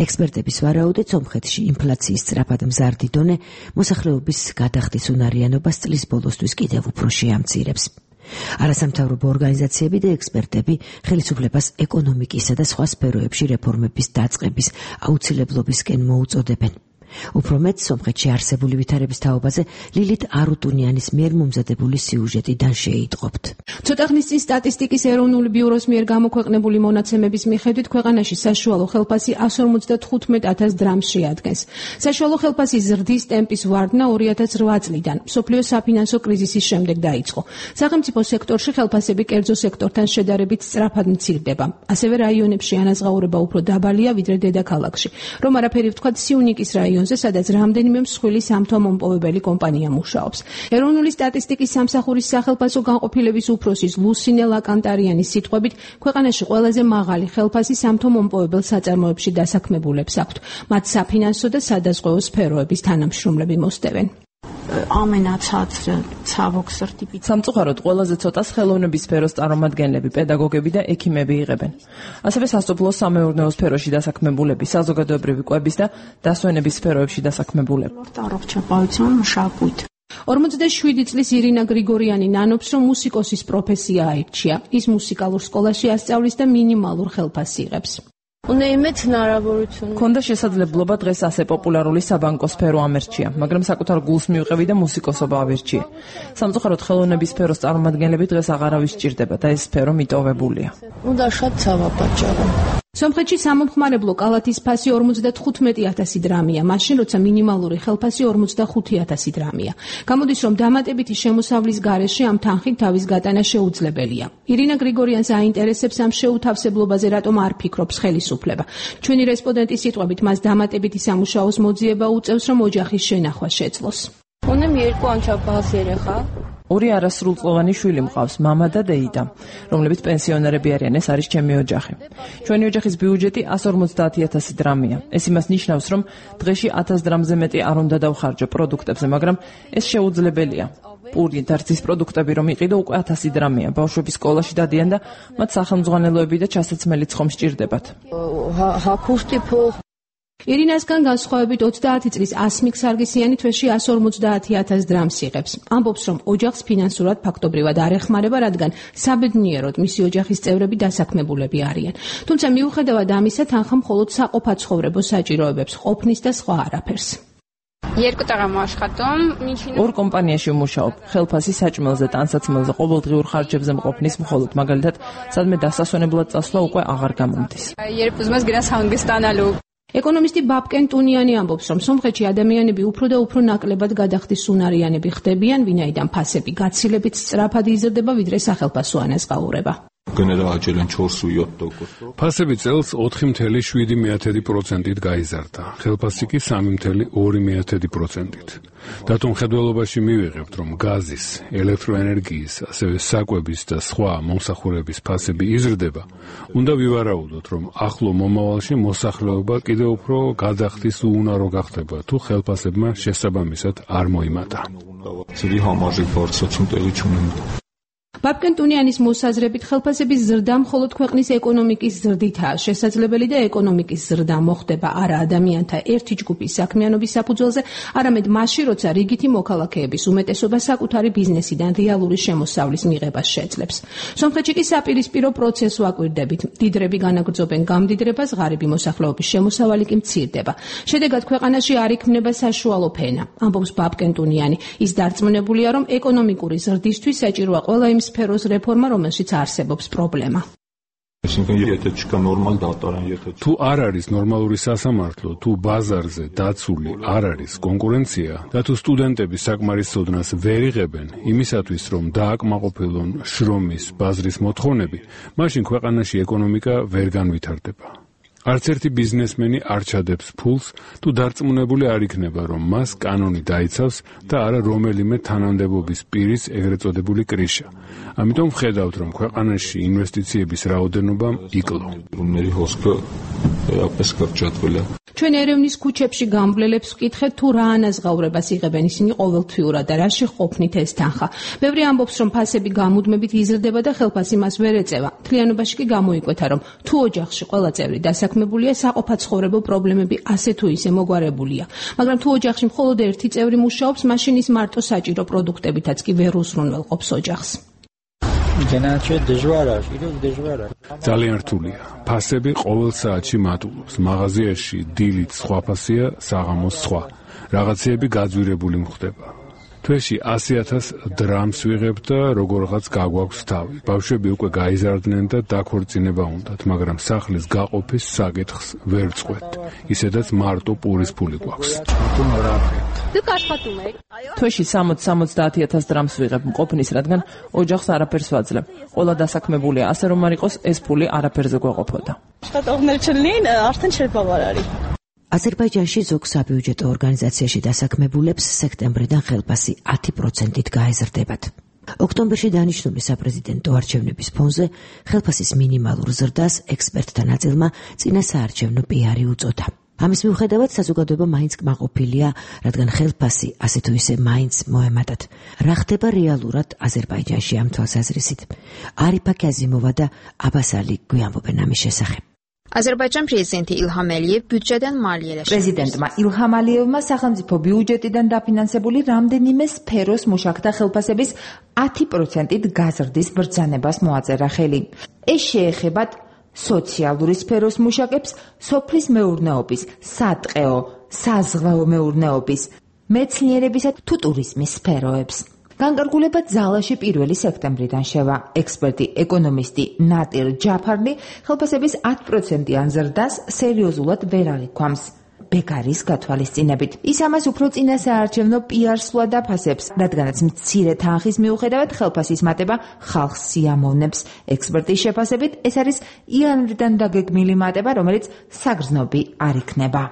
ექსპერტების ვარაუდით, სომხეთში ინფლაციის სწრაფად მზარდი დონე მოსახლეობის გადახდის უნარიანობას წლის ბოლოსთვის კიდევ უფრო შეამცირებს. არასამთავრობო ორგანიზაციები და ექსპერტები ხელისუფლებას ეკონომიკისა და სხვა სფეროებში რეფორმების დაწყების აუცილებლობისკენ მოუწოდებენ. უფრო მეტ, სომხეთში არსებული ვითარების თაობაზე ლილით არუტუნიანის მიერ მომზადებული სიუჟეტიდან შეიტყობთ. ცოტა ხნის წინ სტატისტიკის ეროვნული ბიუროს მიერ გამოქვეყნებული მონაცემების მიხედვით ქვეყანაში საშუალო ხელფასი 155,000 დრამს შეადგენს. საშუალო ხელფასის ზრდის ტემპის ვარდნა 2008 წლიდან მსოფლიოს საფინანსო კრიზისის შემდეგ დაიწყო. სახელმწიფო სექტორში ხელფასები კერძო სექტორთან შედარებით სწრაფად მცირდება. ასევე რაიონებში ანაზღაურება უფრო დაბალია ვიდრე დედაქალაქში. რომ არაფერი ვთქვათ სიუნიკის რაიონში, სადაც რამდენიმე მსხვილი სამთო-მომპოვებელი კომპანია მუშაობს. ეროვნული სტატისტიკის სამსახურის სახელფასო განყოფილების უფროსის ლუსინე ლაკანტარიანის სიტყვებით, ქვეყანაში ყველაზე მაღალი ხელფასი სამთო-მომპოვებელ საწარმოებში დასაქმებულებს აქვთ. მათ საფინანსო და სადაზღვეო სფეროების თანამშრომლები მოსდევენ. სამწუხაროდ ყველაზე ცოტას ხელოვნების სფეროს წარმომადგენლები, პედაგოგები და ექიმები იღებენ. ასევე სასოფლო-სამეურნეო სფეროში დასაქმებულები, საზოგადოებრივი კვების და დასვენების სფეროებში დასაქმებულები. 47 წლის ირინა გრიგორიანი ნანობს, რომ მუსიკოსის პროფესია აირჩია. ის მუსიკალურ სკოლაში ასწავლის და მინიმალურ ხელფასს იღებს. ქონდა შესაძლებლობა დღეს ასე პოპულარული საბანკო სფერო ამერჩია, მაგრამ საკუთარ გულს მივყევი და მუსიკოსობა ავირჩიე. სამწუხაროდ ხელოვნების სფეროს წარმომადგენლები დღეს აღარავის სჭირდება და ეს სფერო მიტოვებულია. სომხეთში სამომხმარებლო კალათის ფასი 55,000 დრამია, მაშინ როცა მინიმალური ხელფასი 45,000 დრამია. გამოდის, რომ დამატებითი შემოსავლის გარეშე ამ თანხით თავის გატანა შეუძლებელია. ირინა გრიგორიანს აინტერესებს ამ შეუთავსებლობაზე რატომ არ ფიქრობს ხელისუფლება. ჩვენი რესპონდენტის სიტყვებით, მას დამატებითი სამუშაოს მოძიება უწევს, რომ ოჯახის შენახვა შეძლოს. ორი არასრულწლოვანი შვილი მყავს, მამა და დეიდა, რომლებიც პენსიონერები არიან. ეს არის ჩემი ოჯახი. ჩვენი ოჯახის ბიუჯეტი 150,000 დრამია. ეს იმას ნიშნავს, რომ დღეში 1000 დრამზე მეტი არ უნდა დავხარჯო პროდუქტებზე, მაგრამ ეს შეუძლებელია. პური და რძის პროდუქტები რომ იყიდო უკვე 1000 დრამია. ბავშვები სკოლაში დადიან და მათ სახელმძღვანელოები და ჩასაცმელიც ხომ სჭირდებათ. ირინასგან განსხვავებით 30 წლის ასმիկ სარგისიანი თვეში 150,000 დრამს იღებს. ამბობს, რომ ოჯახს ფინანსურად ფაქტობრივად არ ეხმარება, რადგან საბედნიეროდ მისი ოჯახის წევრები დასაქმებულები არიან. თუმცა მიუხედავად ამისა, თანხა მხოლოდ საყოფაცხოვრებო საჭიროებებს ყოფნის და სხვა არაფერს. ორ კომპანიაში ვმუშაობ. ხელფასი საჭმელზე, ტანსაცმელზე, ყოველდღიურ ხარჯებზე მყოფნის მხოლოდ, მაგალითად, სადმე დასასვენებლად წასვლა უკვე აღარ გამომდის. ეკონომისტი ბაბკენ ტუნიანი ამბობს, რომ სომხეთში ადამიანები უფრო და უფრო ნაკლებად გადახდის უნარიანები ხდებიან, ვინაიდან ფასები გაცილებით სწრაფად იზრდება, ვიდრე სახელფასო ანაზღაურება. ფასები წელს 4,7%-ით გაიზარდა, ხელფასი კი 3,2%-ით. დათუმხედველობაში მივიღებთ, რომ გაზის, ელექტროენერგიის, ასევე საკვების და სხვა მომსახურების ფასები იზრდება, უნდა ვივარაუდოთ, რომ ახლო მომავალში მოსახლეობა კიდევ უფრო გადახდის უუნარო გახდება, თუ ხელფასებმა შესაბამისად არ მოიმატა. ბაბკენ ტუნიანის მოსაზრებით ხელფასების ზრდა მხოლოდ ქვეყნის ეკონომიკის ზრდითაა შესაძლებელი და ეკონომიკის ზრდა მოხდება არა ადამიანთა ერთი ჯგუფის საქმიანობის საფუძველზე, არამედ მაშინ, როცა რიგითი მოქალაქეების უმეტესობა საკუთარი ბიზნესიდან რეალური შემოსავლის მიღებას შეძლებს. სომხეთში კი საპირისპირო პროცესს ვაკვირდებით. მდიდრები განაგრძობენ გამდიდრებას, ღარიბი მოსახლეობის შემოსავალი კი მცირდება. შედეგად ქვეყანაში არ იქმნება საშუალო ფენა, ამბობს ბაბკენ ტუნიანი. ის დარწმუნებულია, რომ ეკონომიკური ზრდისთვის საჭიროა ყველა იმ სფეროს რეფორმა, რომელშიც არსებობს პრობლემა. თუ არ არის ნორმალური სასამართლო, თუ ბაზარზე დაცული არ არის კონკურენცია და თუ სტუდენტები საკმარისოდნას ვერ იღებენ იმისათვის, რომ დააკმაყოფილონ შრომის ბაზრის მოთხოვნები, მაშინ ქვეყანაში ეკონომიკა ვერ განვითარდება. არც ერთი ბიზნესმენი არ ჩადებს ფულს, თუ დარწმუნებული არ იქნება, რომ მას კანონი დაიცავს და არა რომელიმე თანამდებობის პირის ეგრეთ წოდებული კრიშა. ამიტომ ვხედავთ, რომ ქვეყანაში ინვესტიციების რაოდენობა იკლო. ჩვენ ერევნის ქუჩებში გამბლელებს ვკითხეთ, თუ რა ანაზღაურებას იღებენ ისინი ყოველთვიურად და რაში ყოფნით ეს თანხა. ბევრი ამბობს, რომ ფასები გამუდმებით იზრდება და ხელფასი მას ვერ ეწევა. მთლიანობაში კი გამოიკვეთა, რომ თუ ოჯახში ყველა წევრი დასაქმებულია, საყოფაცხოვრებო პრობლემები ასე თუ ისე მოგვარებულია. მაგრამ თუ ოჯახში მხოლოდ ერთი წევრი მუშაობს, მაშინ ის მარტო საჭირო პროდუქტებითაც კი ვერ უზრუნველყოფს ოჯახს. ძალიან რთულია. ფასები ყოველ საათში მატულობს. მაღაზიაში დილით სხვა ფასია, საღამოს სხვა. რაღაცეები გაძვირებული მხვდება. თვეში 100,000 დრამს ვიღებ და როგორღაც გაგვაქვს თავი. ბავშვები უკვე გაიზარდნენ და დაქორწინება უნდათ, მაგრამ სახლის გაყოფის საკითხს ვერ წყვეტ. ისედაც მარტო პურის ფული გვაქვს. თვეში 60-70,000 დრამს ვიღებ მყოფნის, რადგან ოჯახს არაფერს ვაძლევ. ყველა დასაქმებულია, ასე რომ არ იყოს ეს ფული არაფერზე გვეყოფოდა. აზერბაიჯანში ზოგ საბიუჯეტო ორგანიზაციაში დასაქმებულებს სექტემბრიდან ხელფასი 10%-ით გაეზრდებათ. ოქტომბერში დანიშნული საპრეზიდენტო არჩევნების ფონზე ხელფასის მინიმალურ ზრდას ექსპერტთა ნაწილმა წინა საარჩევნო პიარი უწოდა. ამის მიუხედავად საზოგადოება მაინც კმაყოფილია, რადგან ხელფასი ასე თუ ისე მაინც მოემატათ. რა ხდება რეალურად აზერბაიჯანში ამ თვალსაზრისით? არიფა კაზიმოვა და აბას ალი გვიამბობენ ამის შესახებ. Azərbaycan prezidenti İlham Əliyev büdcədən maliyyələşdirdi. Prezidentმა İlham Əliyevმა სახელმწიფო ბიუჯეტიდან დაფინანსებული რამდენიმე სფეროს მუშაკთა ხელფასების 10%-ით გაზრდის ბრძანებას მოაწერა ხელი. ეს შეეხება სოციალური სფეროს მუშაკებს, სოფლის მეურნეობის, სატყეო, საზღვაო მეურნეობის, მეცნიერებისა თუ ტურიზმის სფეროებს. განკარგულება ძალაში 1 სექტემბრიდან შევა. ექსპერტი, ეკონომისტი ნატირ ჯაფარლი ხელფასების 10%-იან ზრდას სერიოზულად ვერ აღიქვამს. ბეკარის გათვალისწინებით. ის ამას უფრო წინა საარჩევნო პიარს სვლა დაფასებს, რადგანაც მცირე თანხის მიუხედავად ხელფასის მატება ხალხს სიამოვნებს. ექსპერტის შეფასებით, ეს არის იანვრიდან დაგეგმილი მატება, რომელიც საგრძნობი არ იქნება.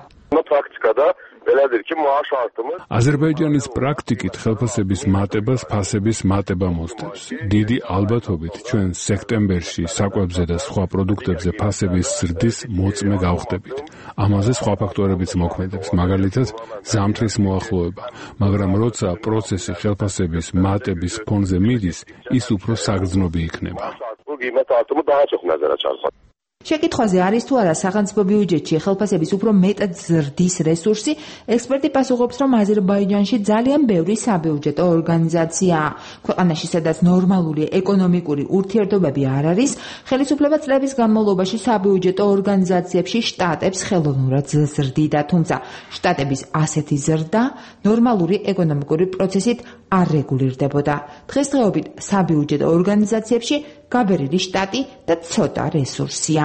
აზერბაიჯანის პრაქტიკით ხელფასების მატებას ფასების მატება მოსდევს. დიდი ალბათობით ჩვენ სექტემბერში საკვებზე და სხვა პროდუქტებზე ფასების ზრდის მოწმე გავხდებით. ამაზე სხვა ფაქტორებიც მოქმედებს, მაგალითად ზამთრის მოახლოება, მაგრამ როცა პროცესი ხელფასების მატების ფონზე მიდის, ის უფრო საგრძნობი იქნება. შეკითხვაზე არის თუ არა სახელმწიფო ბიუჯეტში ხელფასების უფრო მეტად ზრდის რესურსი, ექსპერტი პასუხობს, რომ აზერბაიჯანში ძალიან ბევრი საბიუჯეტო ორგანიზაციაა. ქვეყანაში, სადაც ნორმალური ეკონომიკური ურთიერთობები არ არის, ხელისუფლება წლების განმავლობაში საბიუჯეტო ორგანიზაციებში შტატებს ხელოვნურად ზრდიდა, თუმცა შტატების ასეთი ზრდა ნორმალური ეკონომიკური პროცესით არ რეგულირდებოდა. დღესდღეობით საბიუჯეტო ორგანიზაციებში გაბერილი შტატი და ცოტა რესურსია.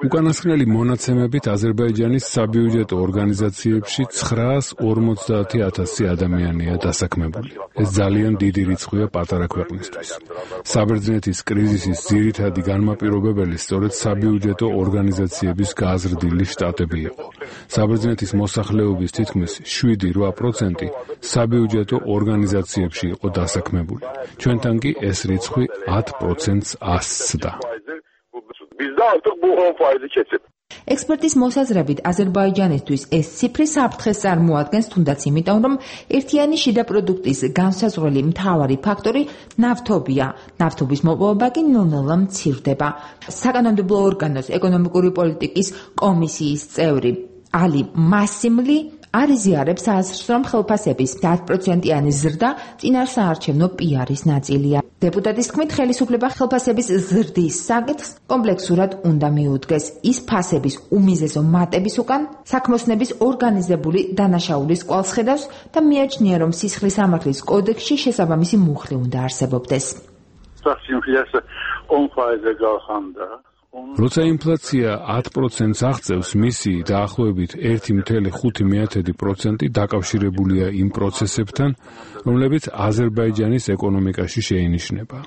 უკანასკნელი მონაცემებით აზერბაიჯანის საბიუჯეტო ორგანიზაციებში 950,000 ადამიანია დასაქმებული. ეს ძალიან დიდი რიცხვია პატარა ქვეყნისთვის. საბერძნეთის კრიზისის ძირითადი განმაპირობებელი სწორედ საბიუჯეტო ორგანიზაციების გაზრდილი შტატები იყო. საბერძნეთის მოსახლეობის თითქმის 7-8% საბიუჯეტო ორგანიზაციებში იყო დასაქმებული. ჩვენთან კი ეს რიცხვი 10%-ს ასწდა. ექსპერტის მოსაზრებით აზერბაიჯანისთვის ეს ციფრი საფრთხეს წარმოადგენს, თუნდაც იმიტომ, რომ ერთიანი შიდა პროდუქტის განსაზღვრელი მთავარი ფაქტორი ნავთობია. ნავთობის მოპოვება კი ნელ-ნელა მცირდება. საკანონმდებლო ორგანოს ეკონომიკური პოლიტიკის კომისიის წევრი ალი მასიმლი არ იზიარებს აზრს, რომ ხელფასების 10%-იანი ზრდა წინარ საარჩევნო პიარის ნაწილია. დეპუტატის თქმით, ხელისუფლება ხელფასების ზრდის საკითხს კომპლექსურად უნდა მიუდგეს. ის ფასების უმიზესო მატების უკან საქმოსნების ორგანიზებული დანაშაულის კვალს ხედავს და მიაჩნია, რომ სისხლის სამართლის კოდექსში შესაბამისი მუხლი უნდა არსებობდეს. როცა ინფლაცია 10%-ს აღწევს, მისი დაახლოებით 1,5% დაკავშირებულია იმ პროცესებთან, რომლებიც აზერბაიჯანის ეკონომიკაში შეინიშნება.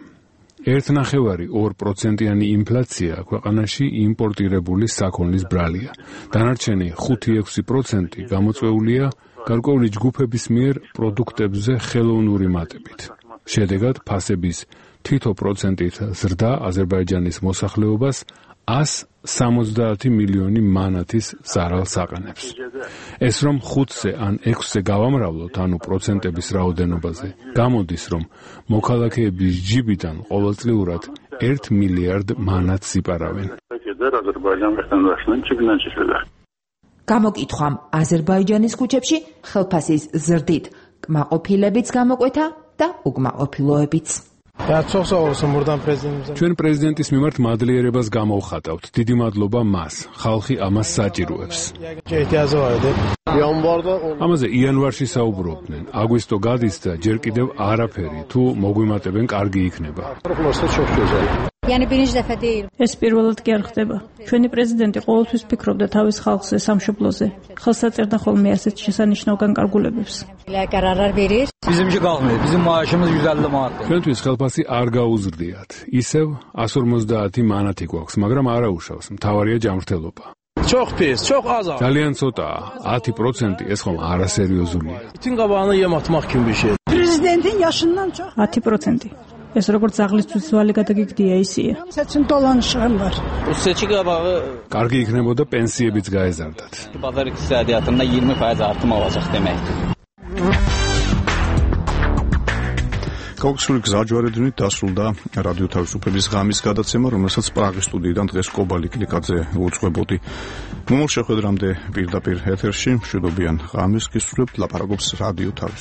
1,5-2%-იანი ინფლაცია ქვეყანაში იმპორტირებული საქონლის ბრალია. დანარჩენი 5-6% გამოწვეულია გარკვეული ჯგუფების მიერ პროდუქტებზე ხელოვნური მატებით. შედეგად ფასების თითო პროცენტით ზრდა აზერბაიჯანის მოსახლეობას 170 მილიონი მანათის ზარალს აყენებს. ეს რომ 5-ზე ან 6-ზე გავამრავლოთ, ანუ პროცენტების რაოდენობაზე, გამოდის, რომ მოქალაქეების ჯიბიდან ყოველწლიურად 1 მილიარდ მანათს იპარავენ. გამოკითხვამ აზერბაიჯანის ქუჩებში ხელფასის ზრდით კმაყოფილებიც გამოკვეთა და უკმაყოფილოებიც. ჩვენ პრეზიდენტის მიმართ მადლიერებას გამოვხატავთ. დიდი მადლობა მას. ხალხი ამას საჭიროებს. ამაზე იანვარში საუბრობდნენ. აგვისტო გადის და ჯერ კიდევ არაფერი. თუ მოგვიმატებენ, კარგი იქნება. ეს პირველად კი არ ხდება. ჩვენი პრეზიდენტი ყოველთვის ფიქრობდა თავის ხალხზე, სამშობლოზე. ხელსაწერდა ხოლმე ასეთ შესანიშნავ განკარგულებებს. ჩვენთვის ხელფასი არ გაუზრდიათ. ისევ 150 მანათი გვაქვს, მაგრამ არაუშავს. მთავარია ჯანმრთელობა. ძალიან ცოტაა. 10% ეს ხომ არასერიოზულია. 10%. ეს როგორც აღლისთვის ძვალი გადაგიგდია ისია. კარგი იქნებოდა პენსიებიც გაეზარდათ. გაუქმებული გზაჯვარედინით დასრულდა რადიო თავისუფლების ღამის გადაცემა, რომელსაც პრაღის სტუდიიდან დღეს კობალი კლიკაძე უძღვებოდი. მომავალ შეხვედრამდე პირდაპირ ეთერში მშვიდობიან ღამეს გისურვებთ. ლაპარაკობს რადიო თავისუფლება.